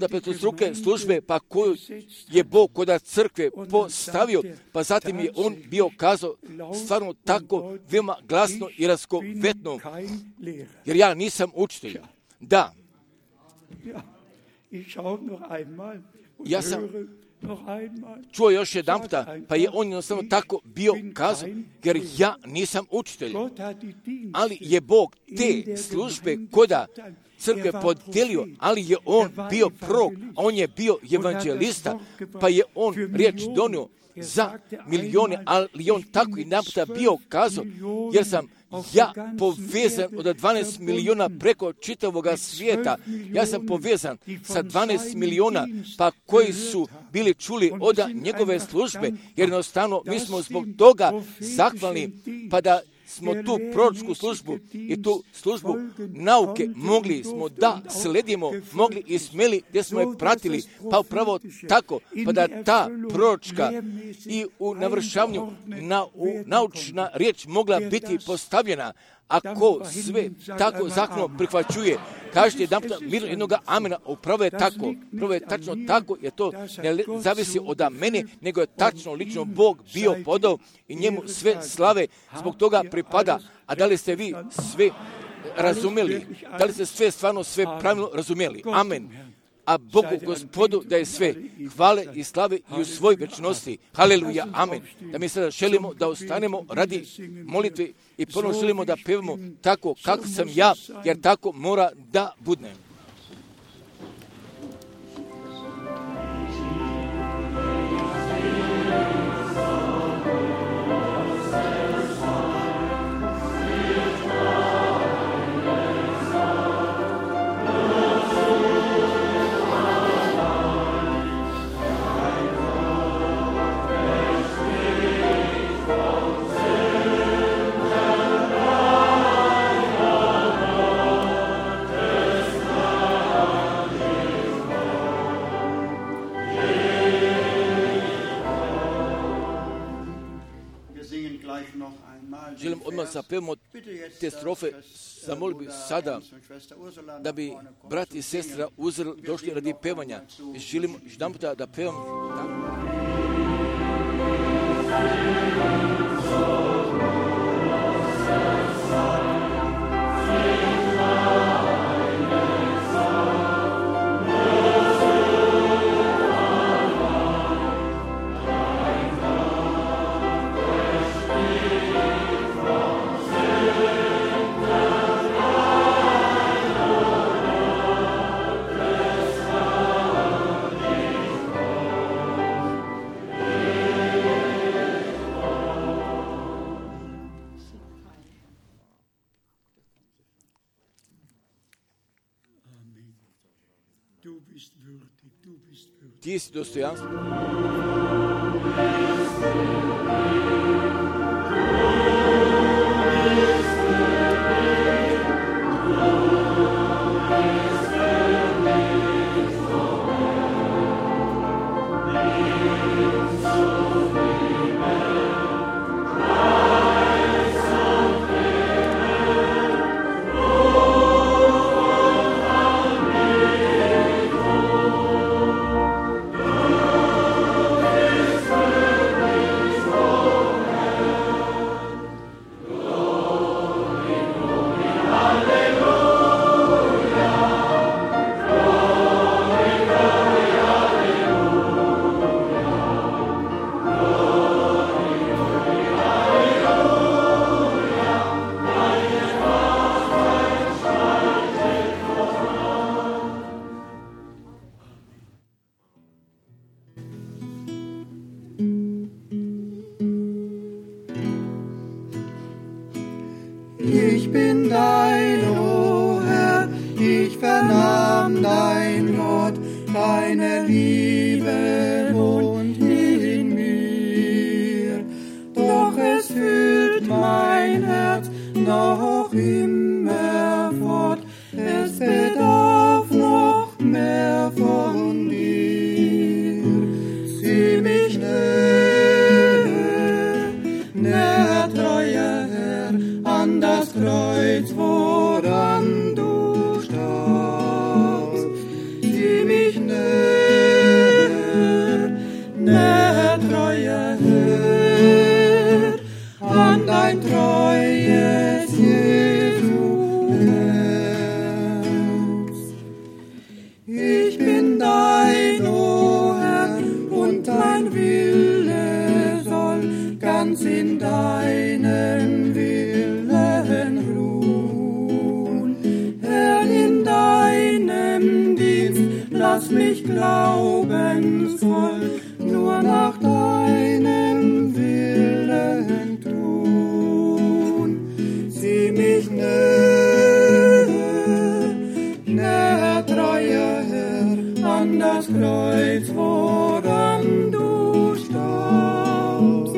petostruke službe, pa koju je Bog kod crkve postavio, pa zatim je on bio kazao stvarno tako veoma glasno i raskovetno, jer ja nisam učitelj. Da, ja sam čuo još jedan puta, pa je on jednostavno tako bio kazao, jer ja nisam učitelj, ali je Bog te službe koda crkve podijelio, ali je on bio prorok, on je bio evanđelista, pa je on riječ donio za milijone, ali on tako i naputa bio kazao, jer sam ja povezan od 12 milijuna preko čitavoga svijeta. Ja sam povezan sa 12 milijuna, pa koji su bili čuli od njegove službe, jer jednostavno mi smo zbog toga zahvalni, pa da smo tu proročku službu i tu službu nauke mogli smo da sledimo, mogli i smjeli gdje smo je pratili, pa upravo tako, pa da ta proročka i u navršavanju naučna riječ mogla biti postavljena. Ako sve tako zakonom prihvaćuje, kažete jedan puta mirno jednoga amena, upravo je tako, upravo je tačno tako, jer to ne zavisi od mene, nego je tačno lično Bog bio podao i njemu sve slave zbog toga pripada. A da li ste vi sve razumeli? Da li ste sve stvarno sve pravilno razumeli? Amen. A Bogu Gospodu da je sve hvale i slave i u svoj večnosti. Haleluja, amen. Da mi sada želimo da ostanemo radi molitve i ponovno želimo da pevamo tako kako sam ja, jer tako mora da budne. Želim odmah zapevamo te strofe, zamolio bih sada da bi brat i sestra Uzel došli radi pevanja. Želim jedan puta da pevam tako. Ti si dostojanstven. Ich bin dein, o Herr, ich vernahm dein Wort, deine Liebe wohnt in mir. Doch es fühlt mein Herz noch immer fort, es bedarf noch mehr von dir. Sieh mich näher, treuer Herr, an das Kreuz, woran du starbst. Sieh mich näher, treuer Herr, an dein treues Jesu Herz. Ich bin dein, o Herr, und dein Wille soll ganz in deinem Willen ruhen. Herr, in deinem Dienst lass mich glaubensvoll nur nach deinem Willen tun. Sieh mich näher, treuer Herr, an das Kreuz, woran du starbst.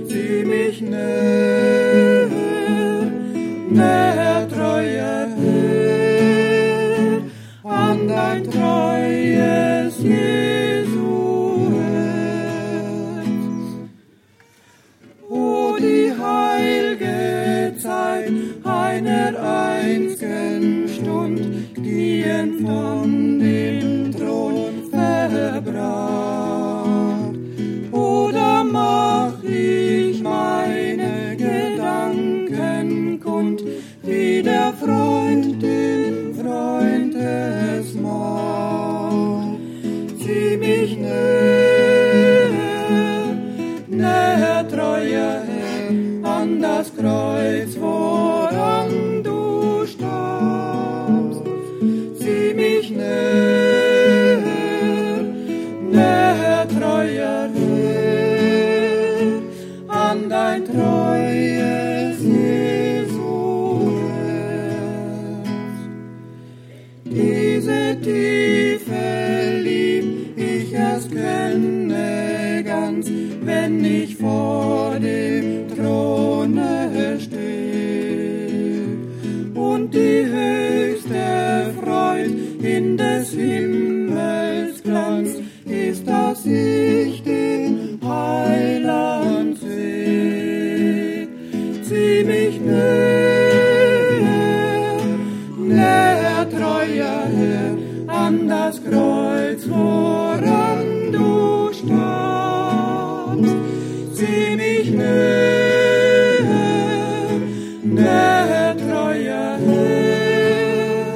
Sieh mich näher, treuer Herr, an dein treues Jesu Herz. O die heilge Zeit einer einzigen Stund, gehen von dem Thron verbracht. Oder mach ich meine Gedanken kund, wie der Freund dem Freund es macht. Sieh mich näher, treuer Herr, an das Kreuz, woran du starbst. Sieh mich näher, treuer Herr, an dein treues Jesu Herz. Diese Tiefe lieb ich erst kenne ganz, wenn ich vor dem Throne stehe. Und die höchste Freud in des Himmels Glanz ist, dass ich den Heiland seh. Sieh mich näher, treuer Herr, an das Kreuz, woran du starbst. Sieh mich näher, treuer Herr,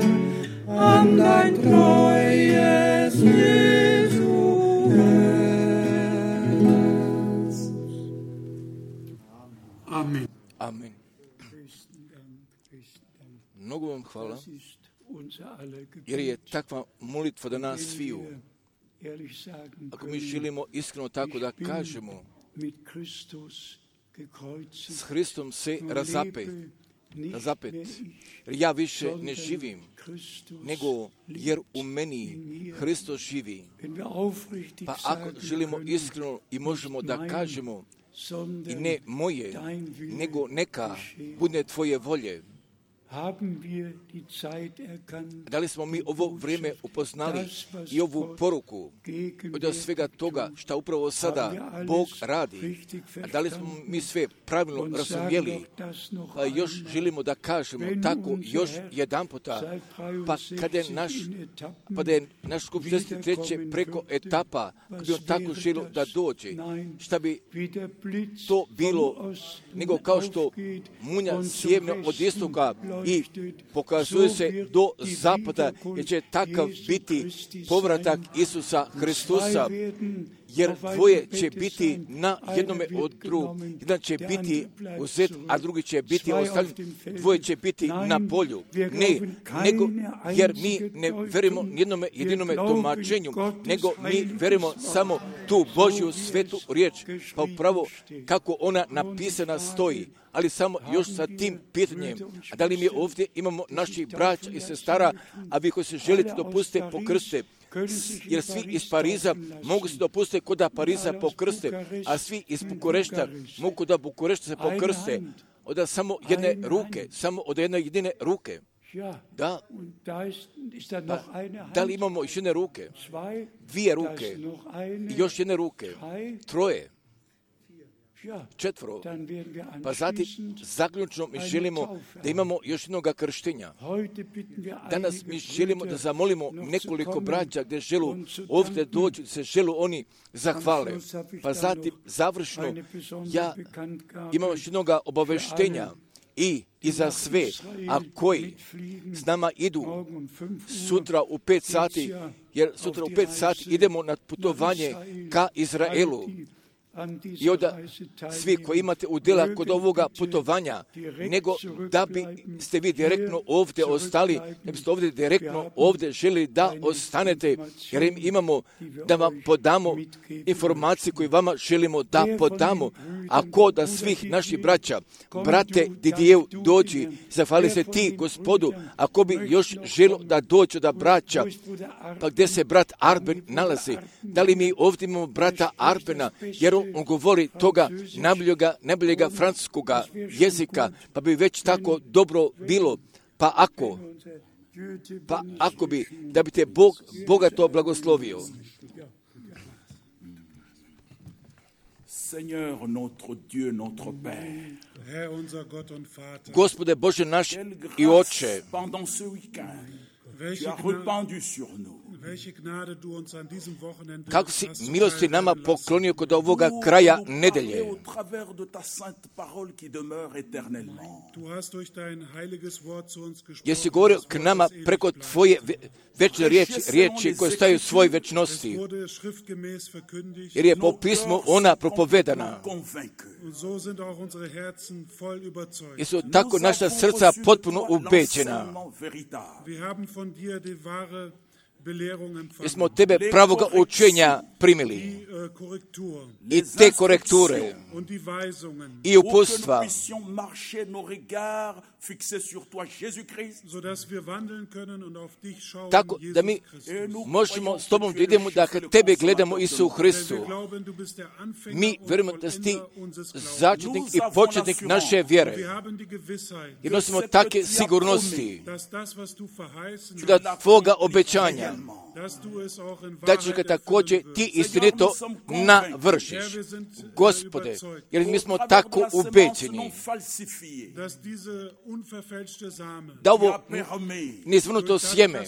an dein treues Jesu Herz. Amen. Amen. Mnogo vam hvala, jer je takva molitva do nas sviju. Ako mi želimo iskreno tako da kažemo, s Hristom se razapet zapet, jer ja više ne živim, nego jer u meni Hristos živi. Pa ako želimo iskreno i možemo da kažemo i ne moje, nego neka bude tvoje volje. Da li smo mi ovo vrijeme upoznali i ovu poruku od svega toga što upravo sada Bog radi? A da li smo mi sve pravilno razumjeli? Pa još želimo da kažemo tako još jedan puta. Pa kada je naš skup 63. preko etapa, kada bi on tako želio da dođe, šta bi to bilo nego kao što munja sjevne od istoka i pokazuje se do zapada, jer će takav biti povratak Isusa Hristusa, jer dvoje će biti na jednome od drugog. Jedan će biti uzet, a drugi će biti ostavljen. Dvoje će biti na polju. Ne, nego jer mi ne verujemo jednome jedinome tumačenju, nego mi verujemo samo tu Božju svetu riječ, pa upravo kako ona napisana stoji. Ali samo još sa tim pitanjem, a da li mi ovdje imamo naših braća i sestara, a vi koji se želite dopustiti pokrste, jer svi iz Pariza mogu se dopustiti kod da Pariza pokrste, a svi iz Bukurešta mogu da Bukurešta se pokrste od samo jedne ruke, samo od jedne jedine ruke. Da, da li imamo još jedne ruke, dvije ruke, i još jedne ruke, troje, četvoro, pa zatim zaključno mi želimo da imamo još jednog krštenja. Danas mi želimo da zamolimo nekoliko braća gdje želu ovdje dođu, se želu oni zahvale. Pa zatim završno ja imam još jednog obaveštenja i za sve, a koji s nama idu sutra u 5 sati, jer sutra u 5 sati idemo na putovanje ka Izraelu. I onda svi koji imate udjela kod ovoga putovanja, nego da bi ste vi direktno ovdje ostali, da biste ovdje direktno ovdje želi da ostanete, jer im imamo da vam podamo informacije koje vama želimo da podamo. A ko da svih naših braća, brate Didijev dođi, zahvali se ti Gospodu, ako bi još želo da dođe da braća, pa gdje se brat Arben nalazi, da li mi ovdje imamo brata Arbena, jer on govori toga najboljega francuskoga jezika, pa bi već tako dobro bilo. Pa ako bi, da bi te Bog bogato blagoslovio. Seigneur, notre Dieu, notre Père. Gospode Bože naš i Oče, Pendant ce week-end, tu as répandu sur nous. kako si milosti nama poklonio kod ovoga kraja nedelje. Jesi govorio k nama preko tvoje večne riječi koje staju u svojoj večnosti, jer je po pismu ona propovedana. Jesu tako naša srca potpuno ubeđena. Jer smo od tebe pravoga učenja primili i te korekture i uputstva, tako da mi možemo s tobom da idemo da kad tebe gledamo Isu Hristu. Mi vjerujemo da si ti začetnik i početnik naše vjere. Jer nosimo takve sigurnosti da tvoga obećanja da ćeš ga također ti istinito navršiš. Gospode, jer mi smo tako ubeđeni da ovo nizvrnuto sjeme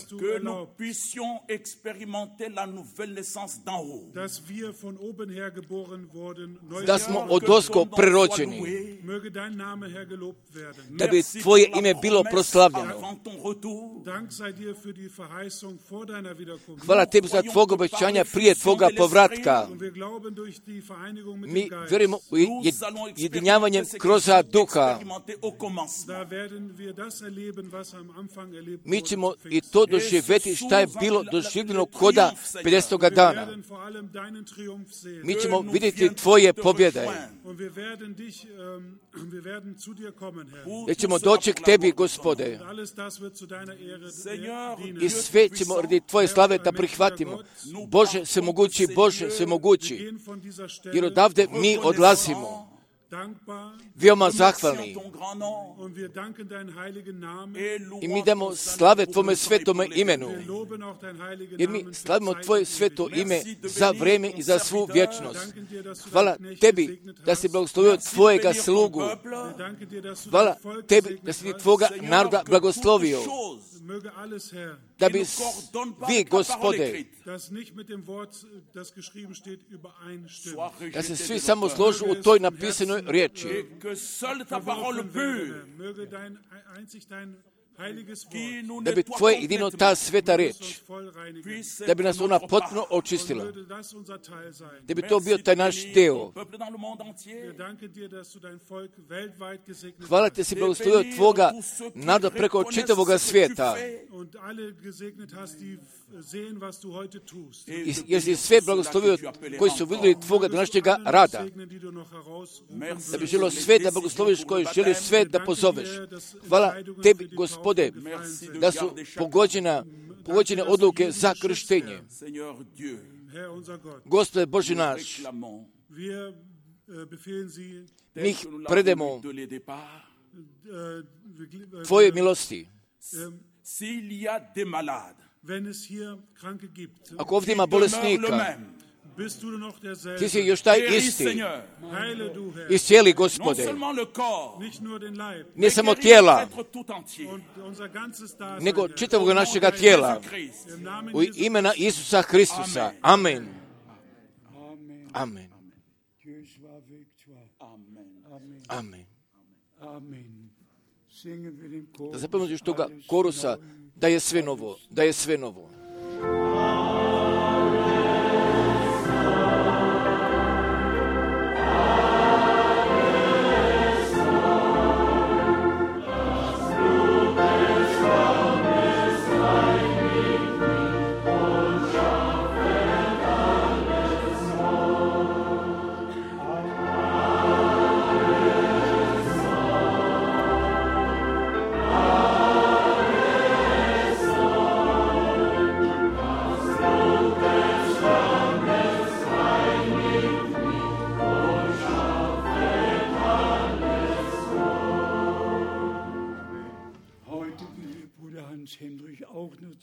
da smo odozgo prerođeni, da bi tvoje ime bilo proslavljeno. Hvala tebi za tvog obećanja prije tvoga povratka. Mi vjerujemo u jedinjavanjem kroz duha. Mi ćemo i to doživjeti šta je bilo doživljeno koda 50. dana. Mi ćemo vidjeti tvoje pobjede. jer ćemo doći k tebi, Gospode, i sve ćemo radi tvoje slave da prihvatimo. Bože, svemogući, Bože, svemogući, jer odavde mi odlazimo veoma zahvalni i mi damo slave tvome svetome imenu, jer mi slavimo tvoje sveto ime za vreme i za svu vječnost. Hvala tebi da si blagoslovio tvojega slugu. Hvala tebi da si ti tvoga naroda blagoslovio, da bi vi, Gospode, da se svi samo složu u toj napisanoj riječi, da bi tvoje jedino ta sveta riječ, da bi nas ona potpuno očistila, da bi to bio taj naš deo. Hvala ti si blagoslovio tvoga naroda preko čitavoga svijeta, jer si sve blagoslovio koji su vidjeli tvoga današnjega rada, da bi želio sve da blagosloviš, koji želi sve da pozoveš. Hvala tebi, Gospode, da su pogođene odluke za krštenje. Gospode Bože naš, mi ih predemo tvoje milosti. Ako ovdje ima bolesnika, ti si još taj isti. Iscijeli, Gospode, ne samo tijela, nego čitavog našega tijela. U imena Isusa Hristusa. Amen. Amen. Amen. Da zapomnimo još toga korusa, da je sve novo, da je sve novo.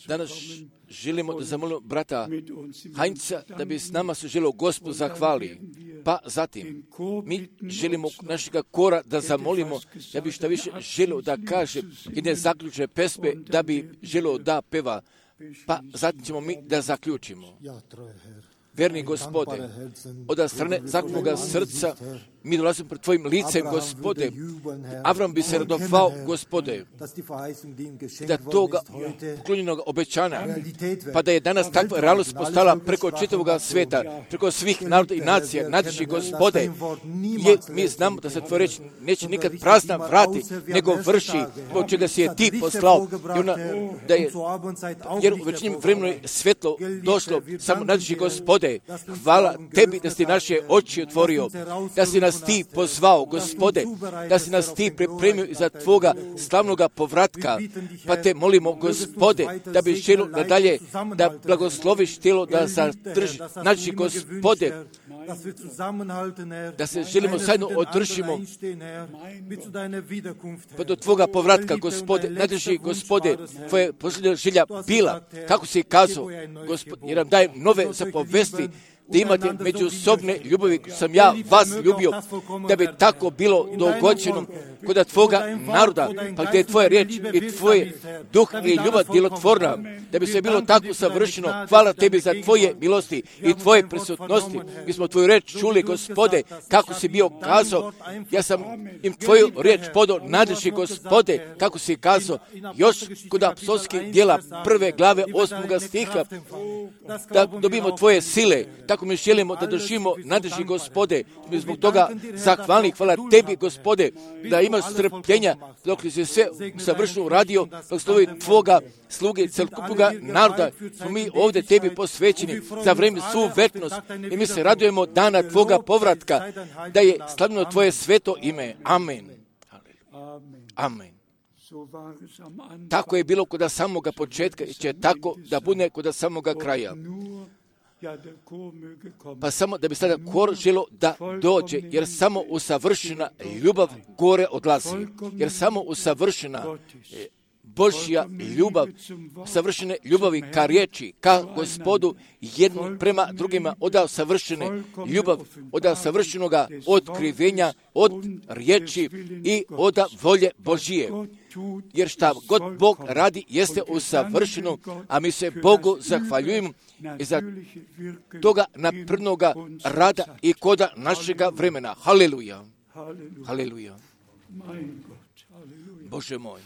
Danas želimo da zamolimo brata Heinza da bi s nama se želio Gospod zahvali. Pa zatim, mi želimo našega kora da zamolimo da bi šta više želio da kaže i ne zaključe pesme, da bi želio da peva. Pa zatim ćemo mi da zaključimo. Verni Gospode, od strane zaklonoga srca mi dolazimo pred tvojim licem, Gospode. Avram bi se radovao, Gospode, da toga poklonjenog obećanja, pa da je danas takva realnost postala preko čitavoga sveta, preko svih naroda i nacija, nadiši, Gospode. Mi znamo da se tvoje reči neće nikad prazna vrati, nego vrši, zbog čega si je ti poslao. Jer u večnim vremenu je svjetlo došlo, samo nadiši, Gospode. Hvala tebi da si naše oči otvorio, da si nas ti pozvao, Gospode, da si nas ti pripremio za tvoga slavnoga povratka. Pa te molimo, Gospode, da bi želio nadalje da blagosloviš tijelo, da zadrži. Znači, Gospode, da se želimo zajedno održimo pa do tvoga povratka, Gospode. Nadrži, Gospode, tvoje posljednja želja bila, kako si kazao, Gospod, jer nam daje nove zapovesti, da imate međusobne ljubavi, sam ja vas ljubio, da bi tako bilo dogođeno kod tvoga naroda, pa gdje je tvoja riječ i tvoje duh i ljubav djelotvorna, da bi se bilo tako savršeno. Hvala tebi za tvoje milosti i tvoje prisutnosti. Mi smo tvoju riječ čuli, Gospode, kako si bio kazao. Ja sam im tvoju riječ podao, nadrži, Gospode, kako si kazao, još kod apostolskih djela 1. glave 8. stiha, da dobijemo tvoje sile. Tako mi želimo da držimo, nadrži, Gospode. Mi zbog toga zahvalni. Hvala tebi, Gospode, da ima imaš strpljenja dok si sve savršeno uradio, dok slovi tvoga sluge, celokupnoga naroda, smo mi ovdje tebi posvećeni za vreme svu večnost i mi se radujemo dana tvoga povratka, da je slavno tvoje sveto ime. Amen. Amen. Tako je bilo kod samoga početka i će tako da bude kod samoga kraja. Pa samo da bi sada kor želo da dođe, jer samo usavršena ljubav gore odlazi. Jer samo usavršena Božja ljubav, savršene ljubavi ka riječi, ka Gospodu, jedno prema drugima, odao savršene ljubav, odao savršenoga otkrivenja od riječi i od volje Božije. Jer šta god Bog radi jeste usavršeno, a mi se Bogu zahvaljujemo za toga naprednoga rada i koda našega vremena. Haleluja. Haleluja. Bože moj.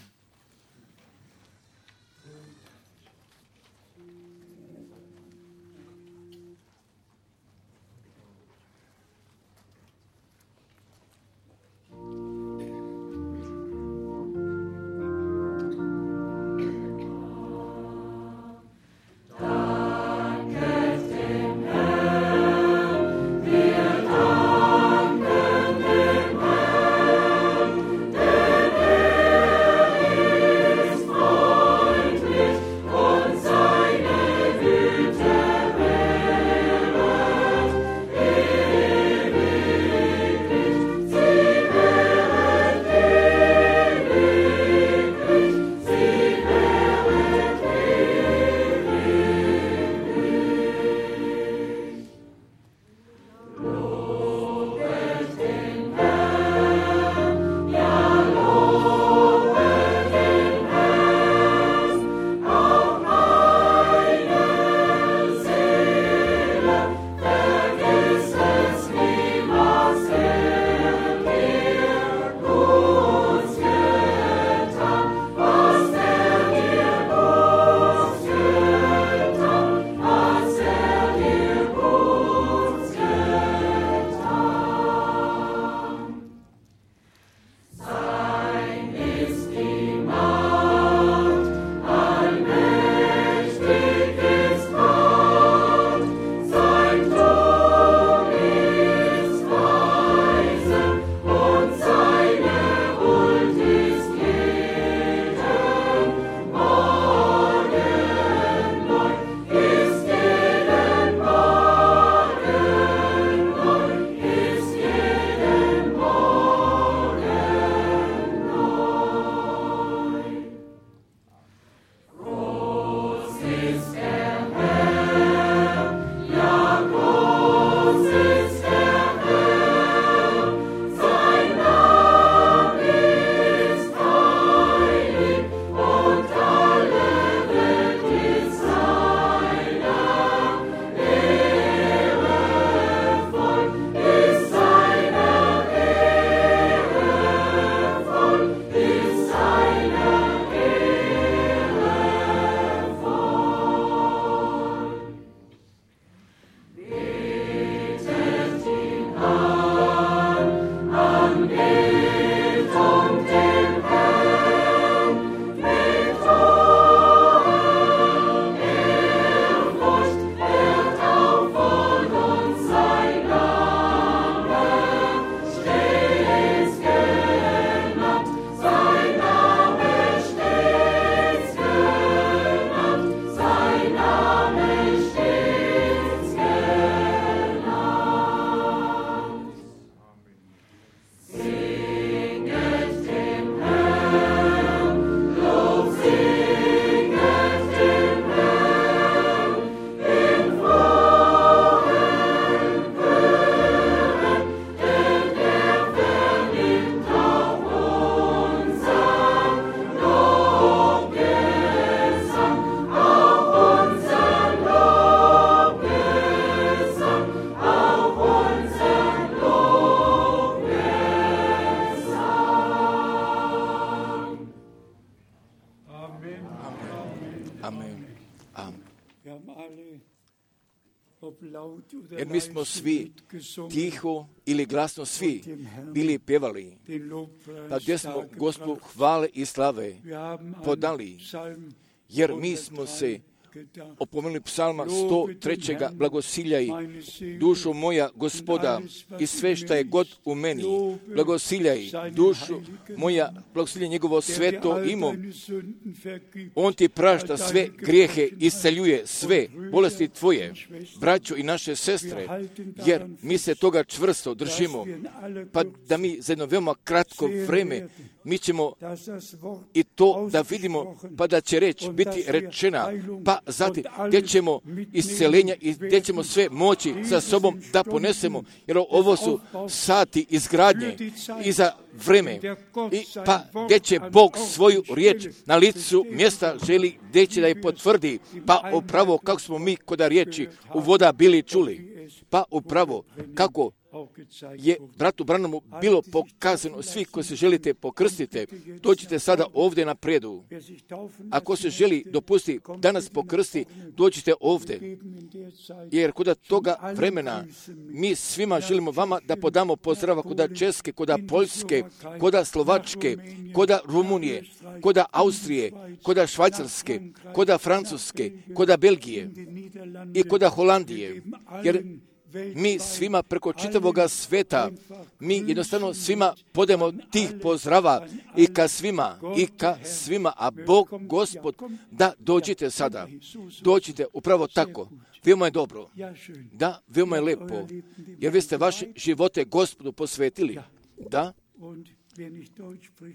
jer mi smo svi tiho ili glasno svi bili pjevali, pa gdje smo Gospodu hvale i slave podali, jer mi smo se opomenuli psalma 103. blagosiljaj dušo moja Gospoda i sve šta je god u meni, blagosiljaj dušo moja, blagosiljaj njegovo sveto imo. On ti prašta sve grijehe, isceljuje sve bolesti tvoje, braćo i naše sestre, jer mi se toga čvrsto držimo, pa da mi za jedno veoma kratko vreme mi ćemo i to da vidimo, pa da će reč biti rečena, pa zatim gdje ćemo isceljenja i gdje ćemo sve moći sa sobom da ponesemo, jer ovo su sati izgradnje i za vreme, i pa gdje će Bog svoju riječ na licu mjesta želi, gdje će da je potvrdi, pa upravo kako smo mi kod riječi u voda bili čuli, pa upravo kako je bratu Branhamu bilo pokazano, svi koji se želite pokrstite, dođite sada ovdje na predu. Ako se želi dopusti danas pokrsti, dođite ovdje. Jer kod toga vremena mi svima želimo vama da podamo pozdrava kod Česke, kod Poljske, kod Slovačke, kod Rumunije, kod Austrije, kod Švajcarske, kod Francuske, kod Belgije i kod Holandije. Jer mi svima preko čitavoga sveta, mi jednostavno svima podemo tih pozdrava i ka svima, a Bog, Gospod, da dođite sada. Dođite upravo tako. Veoma je dobro. Da, veoma je lepo. Jer vi ste vaše živote Gospodu posvetili. Da.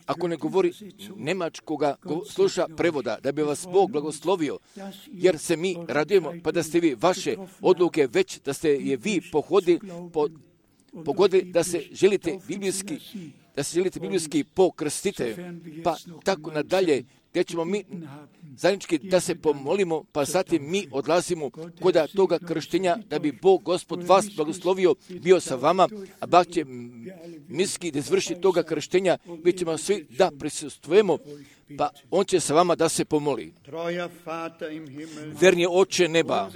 Ako ne govori njemačkoga, sluša prevoda, da bi vas Bog blagoslovio, jer se mi radujemo, pa da ste vi vaše odluke već, da ste je vi pogodili, da se želite biblijski pokrstite, pa tako nadalje, gdje ćemo mi zajednički da se pomolimo, pa zatim mi odlazimo kod toga krštenja, da bi Bog, Gospod, vas blagoslovio, bio sa vama, a Bog će miski da izvrši toga krštenja, mi ćemo svi da prisustvujemo, pa on će sa vama da se pomoli. Verni Oče neba,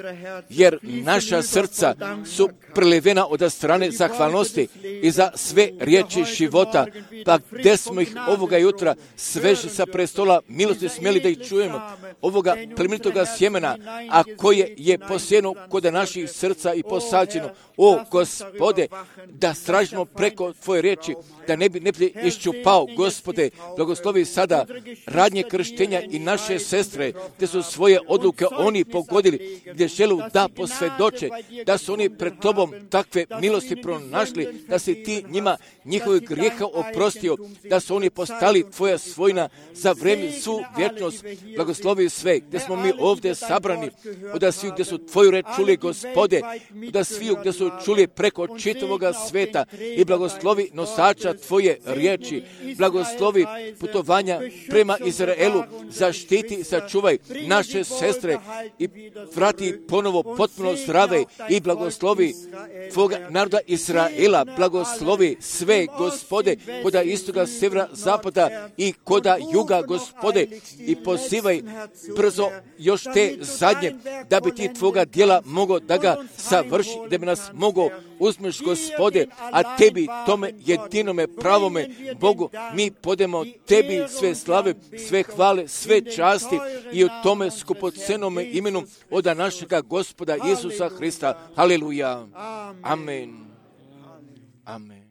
jer naša srca su prelivena od strane zahvalnosti i za sve riječi života, pa gdje smo ih ovoga jutra sveže sa prestola milosti smjeli da ih čujemo, ovoga plemenitoga sjemena, a koje je posijeno kod naših srca i posađeno. O Gospode, da stražimo preko Tvoje riječi, da ne bi iščupao. Gospode, blagoslovi sada radnje krštenja i naše sestre, gdje su svoje odluke oni pogodili, gdje želu da posvjedoče, da su oni pred Tobom takve milosti pronašli, da si Ti njima njihovih grijeha oprostio, da su oni postali Tvoja svojina za vrijeme svu vječnost. Blagoslovi sve, gdje smo mi ovdje sabrani, da svi gdje su Tvoju reč čuli, Gospode, da svi gdje su čuli preko čitavoga sveta, i blagoslovi nosača Tvoje riječi, blagoslovi putovanja prema Izraelu, zaštiti, sačuvaj naše sestre i vrati ponovo potpuno zdrave, i blagoslovi Tvoga naroda Izraela, blagoslovi sve, Gospode, koda istoga, sjevera, zapada i koda juga, Gospode, i pozivaj brzo još te zadnje, da bi Ti Tvoga djela mogao da ga savrši, da bi nas mogao uzmeš, Gospode, a Tebi, tome jedinome pravome Bogu, mi podemo Tebi sve slave, sve hvale, sve časti i u tome skupocenome imenu od našega Gospoda Isusa Hrista. Haleluja. Amen. Amen.